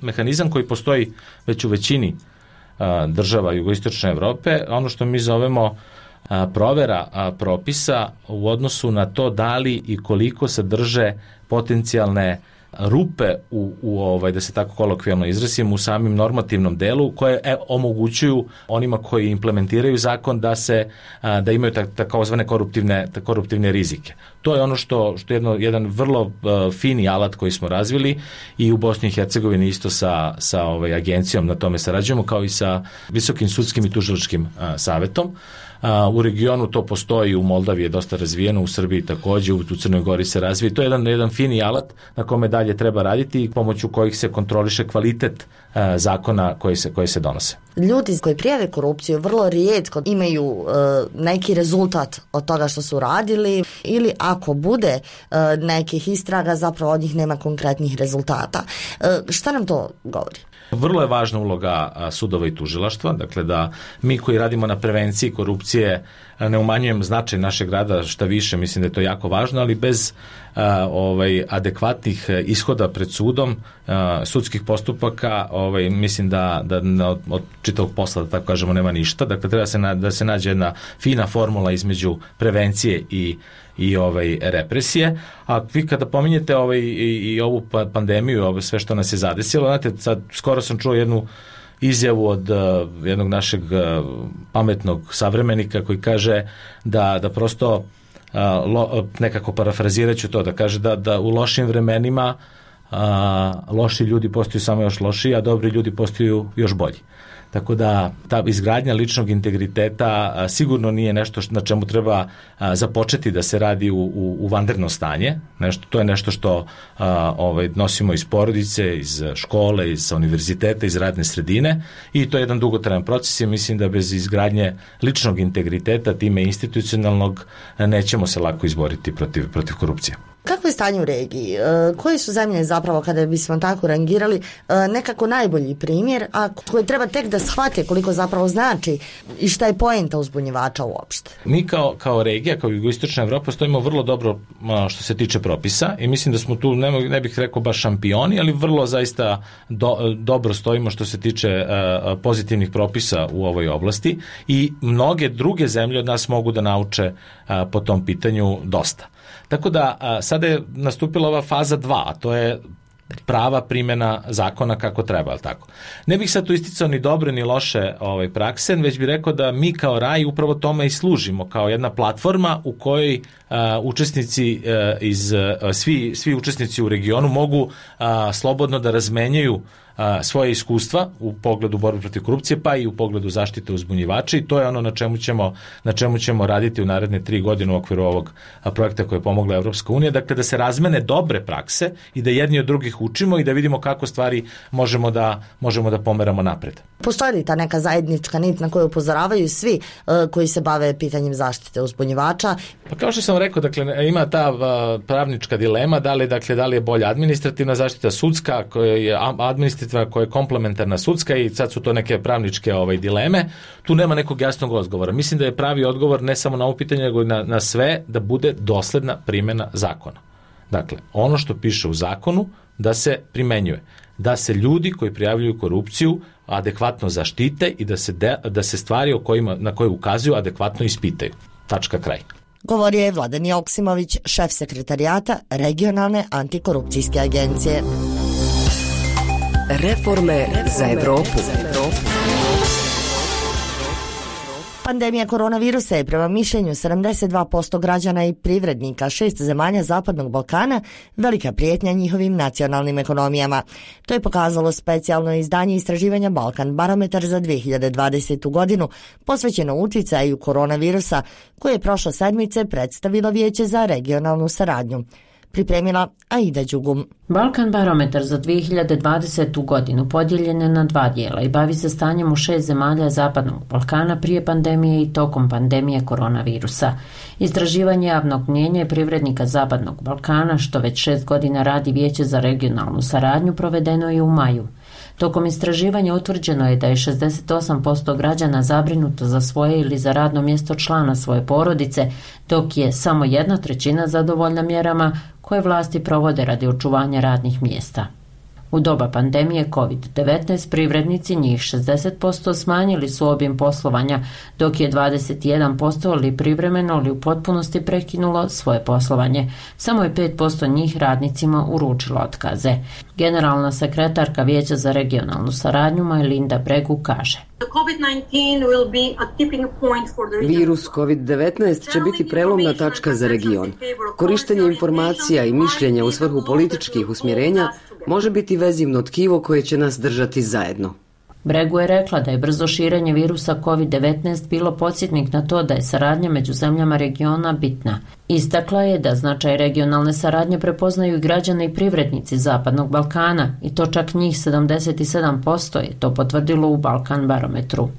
mehanizam koji postoji već u većini država jugoistočne Evrope, ono što mi zovemo provera propisa u odnosu na to da li i koliko sadrže potencijalne rupe da se tako kolokvijalno izrazim, u samim normativnom delu koje omogućuju onima koji implementiraju zakon da imaju takozvane koruptivne rizike. To je ono što je jedan vrlo fini alat koji smo razvili i u Bosni i Hercegovini isto sa agencijom na tome sarađujemo, kao i sa Visokim sudskim i tužilačkim savetom. U regionu to postoji, u Moldaviji je dosta razvijeno, u Srbiji također, u Crnoj Gori se razvije. To je jedan fini alat na kome dalje treba raditi i pomoću kojih se kontroliše kvalitet zakona koji se donose. Ljudi koji prijave korupciju vrlo rijetko imaju neki rezultat od toga što su radili, ili ako bude nekih istraga, zapravo od njih nema konkretnih rezultata. Šta nam to govori? Vrlo je važna uloga sudova i tužilaštva, dakle da mi koji radimo na prevenciji korupcije ne umanjujem značaj našeg rada, šta više, mislim da je to jako važno, ali bez adekvatnih ishoda pred sudom, sudskih postupaka, mislim da od čitavog posla, da tako kažemo, nema ništa. Dakle, treba da se nađe jedna fina formula između prevencije i represije. A vi kada pominjete i ovu pandemiju, sve što nas je zadesilo, znate, sad skoro sam čuo jednu izjavu od jednog našeg pametnog savremenika koji kaže da prosto nekako parafraziraću to, da kaže da u lošim vremenima loši ljudi postaju samo još lošiji, a dobri ljudi postaju još bolji. Tako da ta izgradnja ličnog integriteta sigurno nije nešto na čemu treba započeti da se radi u vanredno stanje. To je nešto što nosimo iz porodice, iz škole, iz univerziteta, iz radne sredine i to je jedan dugotrajan proces i mislim da bez izgradnje ličnog integriteta, time institucionalnog, nećemo se lako izboriti protiv korupcije. Kako je stanje u regiji? Koje su zemlje zapravo, kada bismo tako rangirali, nekako najbolji primjer, a koji treba tek da shvate koliko zapravo znači i šta je poenta uzbunjivača uopšte? Mi kao regija, kao jugoistočna Evropa, stojimo vrlo dobro što se tiče propisa i mislim da smo tu, ne bih rekao baš šampioni, ali vrlo zaista dobro stojimo što se tiče pozitivnih propisa u ovoj oblasti i mnoge druge zemlje od nas mogu da nauče po tom pitanju dosta. Tako da sada je nastupila ova faza 2, a to je prava primjena zakona kako treba, ali tako. Ne bih sad tu isticao ni dobre ni loše prakse, već bih rekao da mi kao RAI upravo tome i služimo, kao jedna platforma u kojoj učesnici svi učesnici u regionu mogu slobodno da razmenjaju svoje iskustva u pogledu borbe protiv korupcije, pa i u pogledu zaštite uzbunjivača i to je ono na čemu ćemo raditi u naredne 3 godine u okviru ovog projekta koje je pomogla Evropska unija, dakle da se razmene dobre prakse i da jedni od drugih učimo i da vidimo kako stvari možemo da pomeramo napred. Postoji li ta neka zajednička nit na koju upozoravaju svi koji se bave pitanjem zaštite uzbunjivača? Pa kao što sam rekao, dakle, ima ta pravnička dilema, da li je bolja administrativna zaštita, sudska, koja je administrativna, koja je komplementarna sudska i sad su to neke pravničke dileme. Tu nema nekog jasnog odgovora. Mislim da je pravi odgovor ne samo na ovo pitanje, nego na sve da bude dosledna primjena zakona. Dakle, ono što piše u zakonu da se primenjuje. Da se ljudi koji prijavljuju korupciju adekvatno zaštite i da se stvari na koje ukazuju adekvatno ispitaju. Tačka, kraj. Govorio je Vladan Joksimović, šef sekretarijata Regionalne antikorupcijske agencije. Reforme za Evropu. Pandemija koronavirusa je prema mišljenju 72% građana i privrednika 6 zemalja Zapadnog Balkana velika prijetnja njihovim nacionalnim ekonomijama. To je pokazalo specijalno izdanje istraživanja Balkan Barometar za 2020. godinu posvećeno uticaju koronavirusa koje je prošle sedmice predstavilo Vijeće za regionalnu saradnju. Pripremila Aida Đugum. Balkan Barometar za 2020. godinu podijeljen je na 2 dijela i bavi se stanjem u 6 zemalja Zapadnog Balkana prije pandemije i tokom pandemije koronavirusa. Istraživanje javnog mnijenja i privrednika Zapadnog Balkana, što već 6 godina radi Vijeće za regionalnu saradnju, provedeno je u maju. Tokom istraživanja utvrđeno je da je 68% građana zabrinuto za svoje ili za radno mjesto člana svoje porodice, dok je samo 1/3 zadovoljna mjerama koje vlasti provode radi očuvanja radnih mjesta. U doba pandemije COVID-19 privrednici, njih 60%, smanjili su obim poslovanja, dok je 21% ili privremeno ili u potpunosti prekinulo svoje poslovanje. Samo je 5% njih radnicima uručilo otkaze. Generalna sekretarka Vijeća za regionalnu saradnju Majlinda Bregu kaže: Virus COVID-19 će biti prelomna tačka za region. Korištenje informacija i mišljenja u svrhu političkih usmjerenja može biti vezivno tkivo koje će nas držati zajedno. Bregu je rekla da je brzo širenje virusa COVID-19 bilo podsjetnik na to da je saradnja među zemljama regiona bitna. Istakla je da značaj regionalne saradnje prepoznaju i građani i privrednici Zapadnog Balkana i to čak njih 77% je to potvrdilo u Balkan Barometru.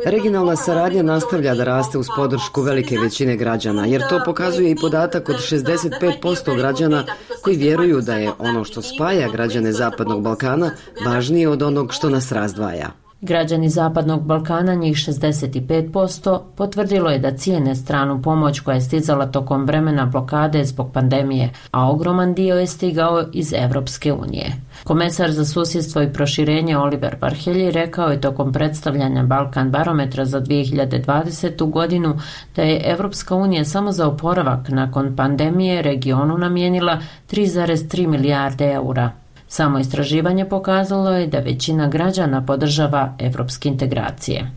Regionalna saradnja nastavlja da raste uz podršku velike većine građana, jer to pokazuje i podatak od 65% građana koji vjeruju da je ono što spaja građane Zapadnog Balkana važnije od onog što nas razdvaja. Građani Zapadnog Balkana, njih 65%, potvrdilo je da cijene stranu pomoć koja je stizala tokom vremena blokade zbog pandemije, a ogroman dio je stigao iz Evropske unije. Komesar za susjedstvo i proširenje Oliver Varhelyi rekao je tokom predstavljanja Balkan Barometra za 2020. godinu da je Evropska unija samo za oporavak nakon pandemije regionu namijenila 3,3 milijarde eura. Samo istraživanje pokazalo je da većina građana podržava evropske integracije.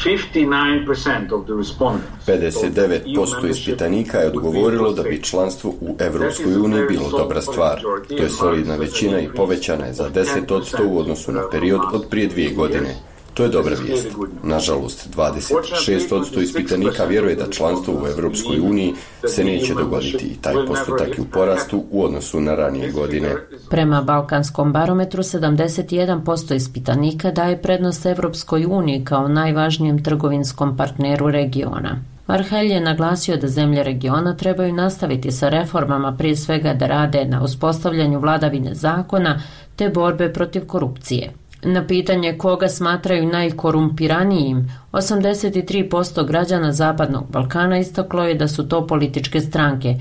59% ispitanika je odgovorilo da bi članstvo u Evropskoj uniji bilo dobra stvar. To je solidna većina i povećana je za 10% u odnosu na period od prije 2 godine. To je dobra vijest. Nažalost, 26% ispitanika vjeruje da članstvo u Evropskoj uniji se neće dogoditi i taj postotak je u porastu u odnosu na ranije godine. Prema Balkanskom barometru, 71% ispitanika daje prednost Evropskoj uniji kao najvažnijem trgovinskom partneru regiona. Varhelj je naglasio da zemlje regiona trebaju nastaviti sa reformama, prije svega da rade na uspostavljanju vladavine zakona te borbe protiv korupcije. Na pitanje koga smatraju najkorumpiranijim, 83% građana Zapadnog Balkana istaklo je da su to političke stranke,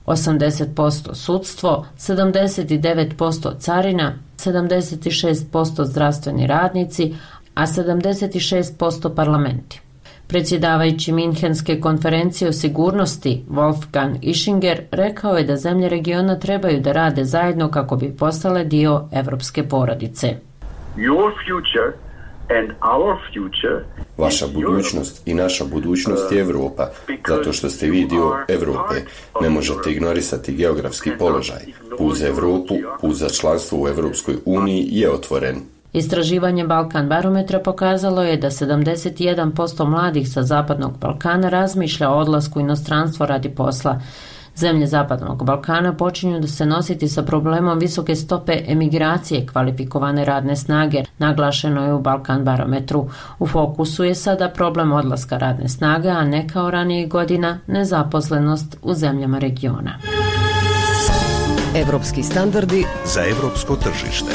80% sudstvo, 79% carina, 76% zdravstveni radnici, a 76% parlamenti. Predsjedavajući Minhenske konferencije o sigurnosti Wolfgang Ischinger rekao je da zemlje regiona trebaju da rade zajedno kako bi postale dio evropske porodice. Vaša budućnost i naša budućnost je Evropa, zato što ste vi dio Evrope. Ne možete ignorisati geografski položaj. Put za Evropu, put za članstvo u Evropskoj uniji je otvoren. Istraživanje Balkan barometra pokazalo je da 71% mladih sa Zapadnog Balkana razmišlja o odlasku u inostranstvo radi posla. Zemlje Zapadnog Balkana počinju da se nositi sa problemom visoke stope emigracije kvalifikovane radne snage, naglašeno je u Balkan barometru. U fokusu je sada problem odlaska radne snage, a ne kao ranijih godina nezaposlenost u zemljama regiona. Evropski standardi za evropsko tržište.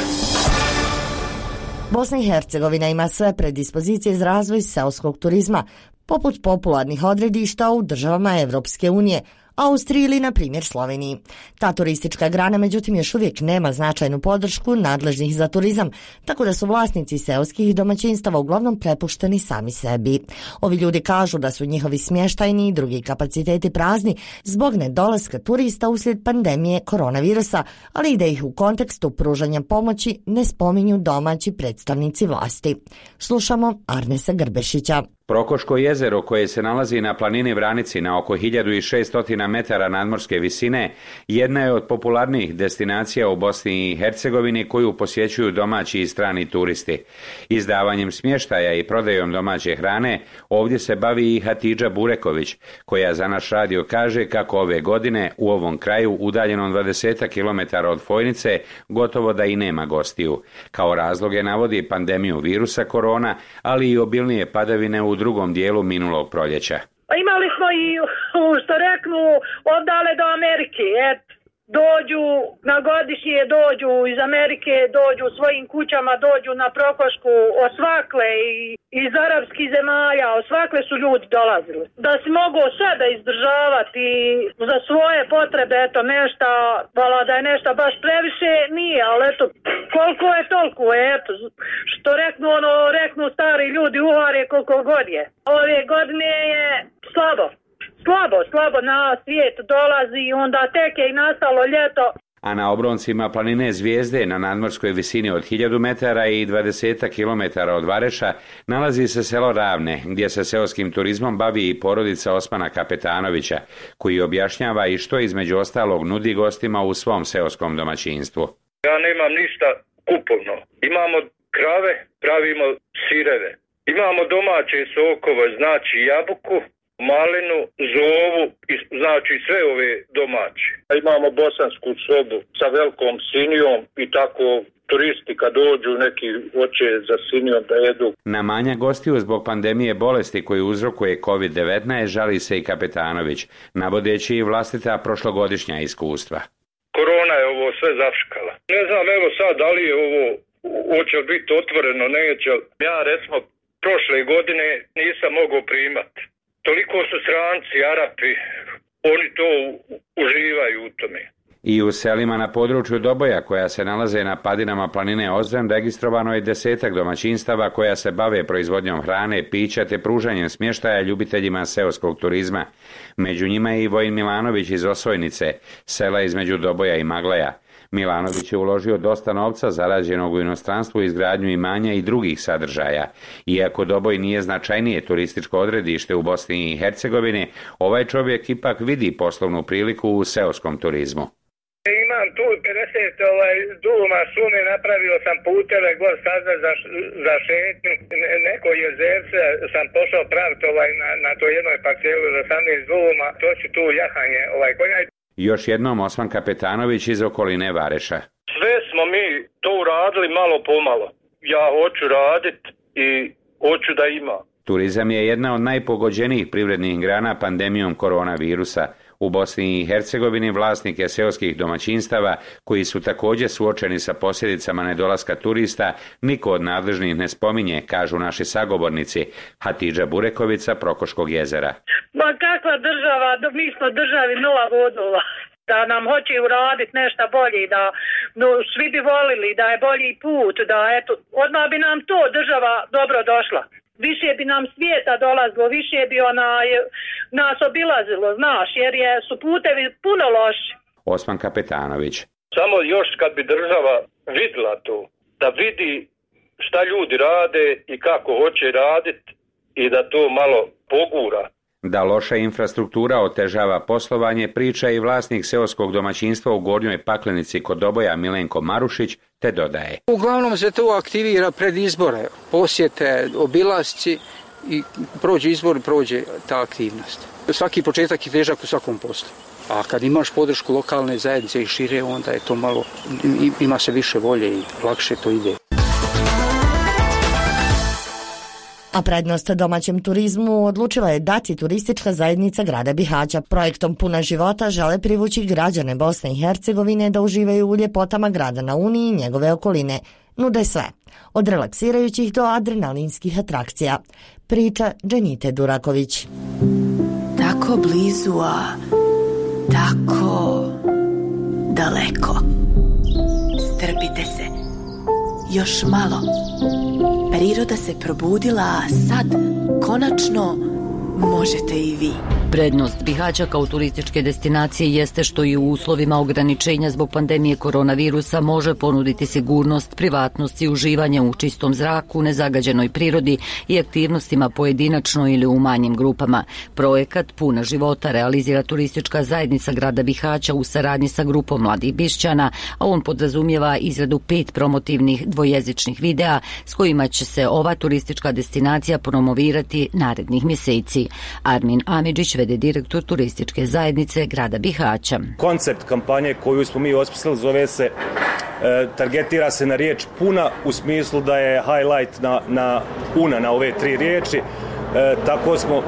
Bosna i Hercegovina ima sve predispozicije za razvoj seoskog turizma, poput popularnih odredišta u državama Evropske unije, Austriji ili, na primjer, Sloveniji. Ta turistička grana, međutim, još uvijek nema značajnu podršku nadležnih za turizam, tako da su vlasnici seoskih domaćinstava uglavnom prepušteni sami sebi. Ovi ljudi kažu da su njihovi smještajni i drugi kapaciteti prazni zbog nedolaska turista uslijed pandemije koronavirusa, ali i da ih u kontekstu pružanja pomoći ne spominju domaći predstavnici vlasti. Slušamo Arnesa Grbešića. Prokoško jezero, koje se nalazi na planini Vranici na oko 1600 metara nadmorske visine, jedna je od popularnijih destinacija u Bosni i Hercegovini koju posjećuju domaći i strani turisti. Izdavanjem smještaja i prodajom domaće hrane ovdje se bavi i Hatidža Bureković, koja za naš radio kaže kako ove godine u ovom kraju, udaljenom 20 km od Fojnice, gotovo da i nema gostiju. Kao razloge navodi pandemiju virusa korona, ali i obilnije padavine u drugom dijelu minulog proljeća. Imali smo i, što reknu, odale do Amerike. Dođu na godišnje, dođu iz Amerike, dođu svojim kućama, dođu na Prokošku, osvakle i iz arapskih zemalja, osvakle su ljudi dolazili. Da si mogu sve da izdržavati za svoje potrebe, eto nešto, vala da je nešto baš previše, nije, ali eto, koliko je toliko, eto, što reknu stari ljudi, uhare koliko god je. Ove godine je slabo na svijet dolazi i onda tek je i nastalo ljeto. A na obroncima planine Zvijezde na nadmorskoj visini od 1000 metara i 20 km od Vareša nalazi se selo Ravne, gdje se seoskim turizmom bavi i porodica Osmana Kapetanovića, koji objašnjava i što između ostalog nudi gostima u svom seoskom domaćinstvu. Ja nemam ništa kupovno. Imamo krave, pravimo sireve. Imamo domaće sokove, znači jabuku, malinu, zovu, znači sve ove domaće. Imamo bosansku sobu sa velikom sinijom i tako turisti kad dođu neki hoće za sinijom da jedu. Na manja gostiju zbog pandemije bolesti koju uzrokuje COVID-19 žali se i Kapetanović, navodeći i vlastita prošlogodišnja iskustva. Korona je ovo sve zaškala. Ne znam, evo sad, da li je ovo, hoće li biti otvoreno, neće. Ja recimo prošle godine nisam mogao primati. Toliko su stranci, Arapi, oni to uživaju u tome. I u selima na području Doboja, koja se nalaze na padinama planine Ozren, registrovano je 10 domaćinstava koja se bave proizvodnjom hrane, pića te pružanjem smještaja ljubiteljima seoskog turizma. Među njima je i Vojin Milanović iz Osojnice, sela između Doboja i Maglaja. Milanović je uložio dosta novca zarađenog u inostranstvu, izgradnju imanja i drugih sadržaja. Iako Doboj nije značajnije turističko odredište u Bosni i Hercegovini, ovaj čovjek ipak vidi poslovnu priliku u seoskom turizmu. Imam tu 50 duma šume, napravio sam puteve, gor staze za šetnju, neko jezerce sam pošao praviti na to jednoj parcelu za 18 duma, to ću tu jahanje konja. Još jednom Osman Kapetanović iz okoline Vareša. Sve smo mi to uradili malo pomalo. Ja hoću raditi i hoću da ima. Turizam je jedna od najpogođenijih privrednih grana pandemijom koronavirusa. U Bosni i Hercegovini vlasnike seoskih domaćinstava, koji su također suočeni sa posljedicama nedolaska turista, niko od nadležnih ne spominje, kažu naši sagovornici. Hatidža Bureković sa Prokoškog jezera. Ma kakva država, mi smo državi nula vodova. Da nam hoće uraditi nešto bolje, da svi bi volili, da je bolji put, da odmah bi nam to država dobro došla. Više bi nam svijeta dolazilo, više bi nas obilazilo, znaš, jer su putevi puno loši. Osman Kapetanović. Samo još kad bi država vidjela to, da vidi šta ljudi rade i kako hoće raditi i da to malo pogura. Da loša infrastruktura otežava poslovanje, priča i vlasnik seoskog domaćinstva u Gornjoj Paklenici kod Doboja Milenko Marušić, te dodaje. Uglavnom se to aktivira pred izbore, posjete, obilasci i prođe izbor, prođe ta aktivnost. Svaki početak je težak u svakom poslu. A kad imaš podršku lokalne zajednice i šire, onda je to malo, ima se više volje i lakše to ide. A prednost domaćem turizmu odlučila je dati turistička zajednica grada Bihaća. Projektom Puna života žele privući građane Bosne i Hercegovine da uživaju u ljepotama grada na Uni i njegove okoline. Nude sve, od relaksirajućih do adrenalinskih atrakcija. Priča Dženite Duraković. Tako blizu, a tako daleko. Strpite se. Još malo. Priroda se probudila, a sad, konačno, možete i vi. Prednost Bihaća kao turističke destinacije jeste što i u uslovima ograničenja zbog pandemije koronavirusa može ponuditi sigurnost, privatnost i uživanje u čistom zraku, nezagađenoj prirodi i aktivnostima pojedinačno ili u manjim grupama. Projekat Puna života realizira turistička zajednica grada Bihaća u saradnji sa grupom mladih Bišćana, a on podrazumijeva izradu 5 promotivnih dvojezičnih videa s kojima će se ova turistička destinacija promovirati narednih mjeseci. Armin Amidžić, vede direktor turističke zajednice grada Bihaća. Koncept kampanje koju smo mi osmislili zove se, targetira se na riječ puna, u smislu da je highlight na ove 3 riječi. Tako smo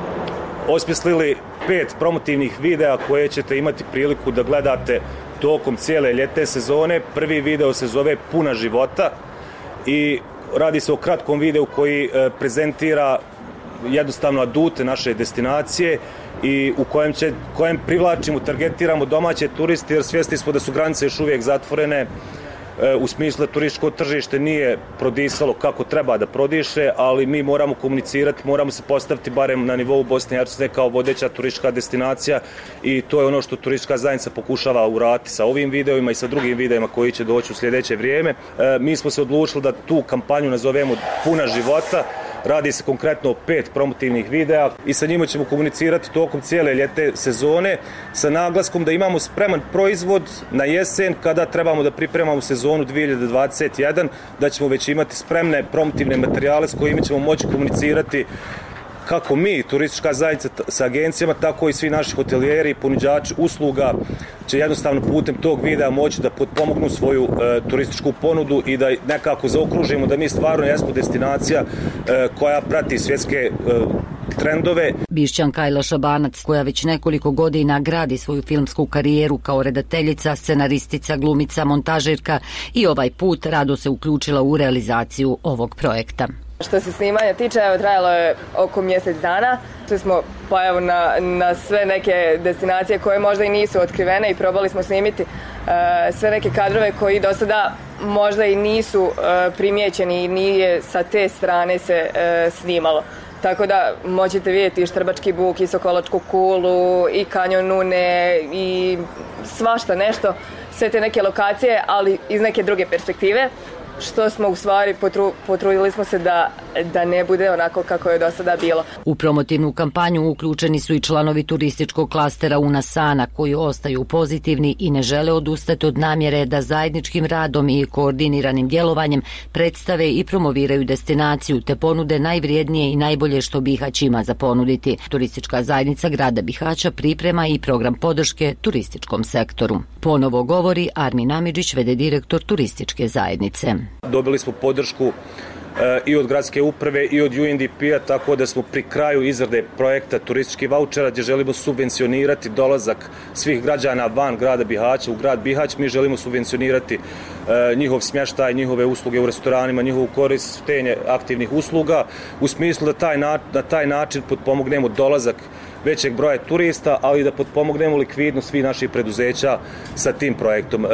osmislili 5 promotivnih videa koje ćete imati priliku da gledate tokom cijele ljetne sezone. Prvi video se zove Puna života i radi se o kratkom videu koji prezentira jednostavno adute naše destinacije i u kojem privlačimo, targetiramo domaće turiste, jer svjesni smo da su granice još uvijek zatvorene, u smislu da turističko tržište nije prodisalo kako treba da prodiše, ali mi moramo komunicirati, moramo se postaviti barem na nivou Bosne i Hercegovine kao vodeća turistička destinacija i to je ono što turistička zajednica pokušava uraditi sa ovim videima i sa drugim videima koji će doći u sljedeće vrijeme. Mi smo se odlučili da tu kampanju nazovemo Puna života. Radi se konkretno o 5 promotivnih videa i sa njima ćemo komunicirati tokom cijele ljetne sezone sa naglaskom da imamo spreman proizvod na jesen kada trebamo da pripremamo sezonu 2021, da ćemo već imati spremne promotivne materijale s kojima ćemo moći komunicirati kako mi, turistička zajednica sa agencijama, tako i svi naši hotelijeri i ponuđači usluga će jednostavno putem tog videa moći da potpomognu svoju turističku ponudu i da nekako zaokružimo da mi stvarno jesmo destinacija koja prati svjetske trendove. Bišćanka Ajla Šabanac, koja već nekoliko godina gradi svoju filmsku karijeru kao redateljica, scenaristica, glumica, montažerka i ovaj put rado se uključila u realizaciju ovog projekta. Što se snimanja tiče, trajalo je oko mjesec dana. Tu smo na sve neke destinacije koje možda i nisu otkrivene i probali smo snimiti sve neke kadrove koji do sada možda i nisu primijećeni i nije sa te strane se snimalo. Tako da možete vidjeti i Štrbački buk, i Sokolačku kulu, i kanjon Une, i svašta nešto, sve te neke lokacije, ali iz neke druge perspektive, što smo u stvari potrudili smo se da ne bude onako kako je do sada bilo. U promotivnu kampanju uključeni su i članovi turističkog klastera Unasana, koji ostaju pozitivni i ne žele odustati od namjere da zajedničkim radom i koordiniranim djelovanjem predstave i promoviraju destinaciju te ponude najvrijednije i najbolje što Bihać ima za ponuditi. Turistička zajednica grada Bihaća priprema i program podrške turističkom sektoru. Ponovo govori Armin Amidžić, v.d. direktor turističke zajednice. Dobili smo podršku i od gradske uprave i od UNDP-a, tako da smo pri kraju izrade projekta turističkih vaučera gdje želimo subvencionirati dolazak svih građana van grada Bihaća u grad Bihać. Mi želimo subvencionirati njihov smještaj, njihove usluge u restoranima, njihovu korištenje aktivnih usluga u smislu da na taj način potpomognemo dolazak većeg broja turista, ali da potpomognemo likvidnost svih naših preduzeća sa tim projektom.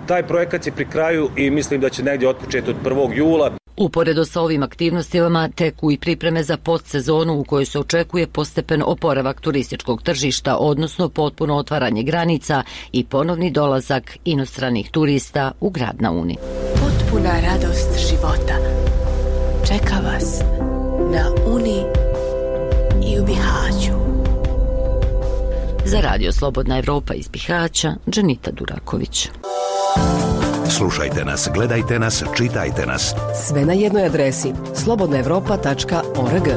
Taj projekat je pri kraju i mislim da će negdje otpočeti od 1. jula. Uporedo sa ovim aktivnostima teku i pripreme za postsezonu u kojoj se očekuje postepen oporavak turističkog tržišta, odnosno potpuno otvaranje granica i ponovni dolazak inostranih turista u grad na Uni. Potpuna radost života čeka vas na Uni i u Bihaću. Za Radio Slobodna Evropa iz Bihaća, Dženita Duraković. Slušajte nas, gledajte nas, čitajte nas. Sve na jednoj adresi slobodnaevropa.org.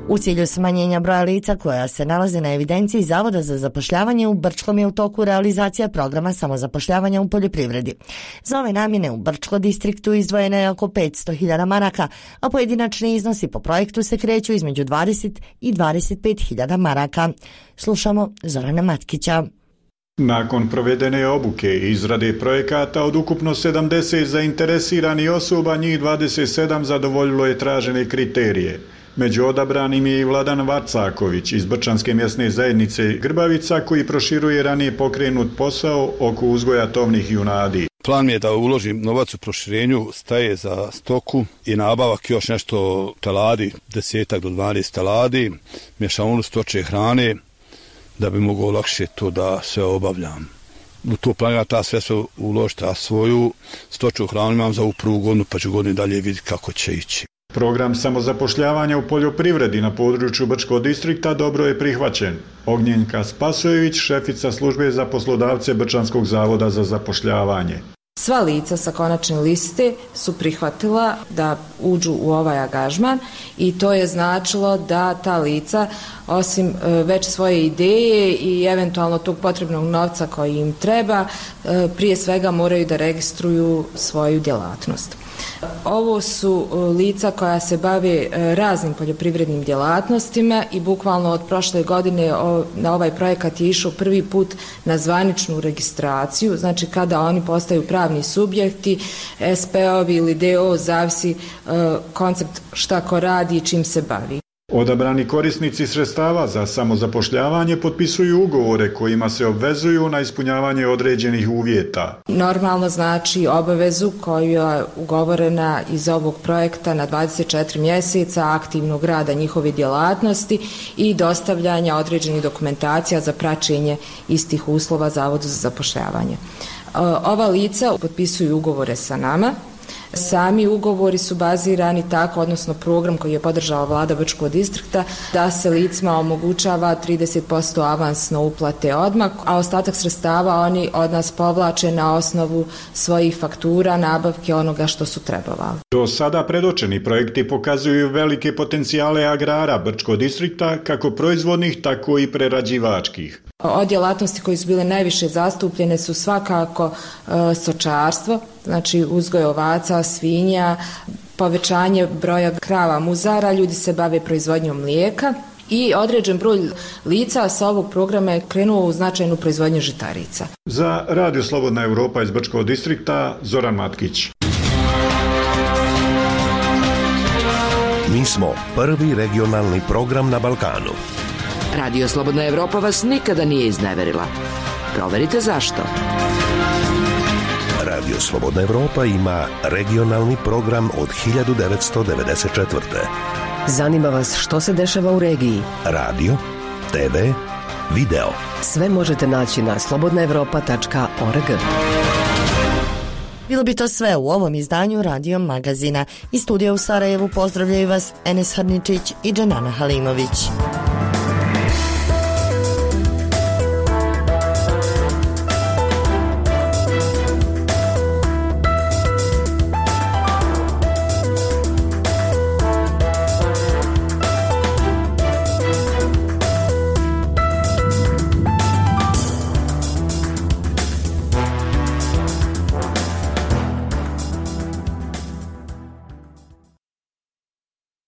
U cilju smanjenja broja lica koja se nalaze na evidenciji Zavoda za zapošljavanje u Brčkom je u toku realizacija programa samozapošljavanja u poljoprivredi. Za ove namjene u Brčko distriktu izdvojeno je oko 500.000 maraka, a pojedinačni iznosi po projektu se kreću između 20 i 25.000 maraka. Slušamo Zorana Matkića. Nakon provedene obuke i izrade projekata od ukupno 70 zainteresiranih osoba, njih 27 zadovoljilo je tražene kriterije. Među odabranim je i Vladan Varcaković iz Brčanske mjesne zajednice Grbavica, koji proširuje ranije pokrenut posao oko uzgoja tovnih junadi. Plan mi je da uložim novac u proširenju staje za stoku i nabavak još nešto teladi, 10 do 12 teladi, mješavinu stočje hrane, da bi mogao lakše to da sve obavljam. U to planiram ta sve uložiti, a svoju stočju hranu imam za ovu prvu godinu, pa ću godinu dalje vidjeti kako će ići. Program samozapošljavanja u poljoprivredi na području Brčkog distrikta dobro je prihvaćen. Ognjenka Spasojević, šefica službe za poslodavce Brčanskog zavoda za zapošljavanje. Sva lica sa konačne liste su prihvatila da uđu u ovaj angažman i to je značilo da ta lica, osim već svoje ideje i eventualno tog potrebnog novca koji im treba, prije svega moraju da registruju svoju djelatnost. Ovo su lica koja se bave raznim poljoprivrednim djelatnostima i bukvalno od prošle godine na ovaj projekat je išao prvi put na zvaničnu registraciju, znači kada oni postaju pravni subjekti, SP-ovi ili DO, zavisi koncept šta ko radi i čim se bavi. Odabrani korisnici sredstava za samozapošljavanje potpisuju ugovore kojima se obvezuju na ispunjavanje određenih uvjeta. Normalno znači obavezu koja je ugovorena iz ovog projekta na 24 mjeseca aktivnog rada njihove djelatnosti i dostavljanja određenih dokumentacija za praćenje istih uslova Zavodu za zapošljavanje. Ova lica potpisuju ugovore sa nama. Sami ugovori su bazirani tako, odnosno program koji je podržala vlada Brčkog distrikta, da se licima omogućava 30% avansno uplate odmah, a ostatak sredstava oni od nas povlače na osnovu svojih faktura, nabavke onoga što su trebovali. Do sada predočeni projekti pokazuju velike potencijale agrara Brčkog distrikta, kako proizvodnih, tako i prerađivačkih. Od djelatnosti koje su bile najviše zastupljene su svakako stočarstvo, znači uzgoj ovaca, svinja, povećanje broja krava muzara, ljudi se bave proizvodnjom mlijeka i određen broj lica sa ovog programa je krenuo u značajnu proizvodnju žitarica. Za Radio Slobodna Evropa iz Brčkog distrikta, Zoran Matkić. Mi smo prvi regionalni program na Balkanu. Radio Slobodna Evropa vas nikada nije izneverila. Proverite zašto. Radio Slobodna Evropa ima regionalni program od 1994. Zanima vas što se dešava u regiji? Radio, TV, video. Sve možete naći na slobodnaevropa.org. Bilo bi to sve u ovom izdanju Radio Magazina. Iz studija u Sarajevu pozdravljaju vas Enes Harničić i Dženana Halimović.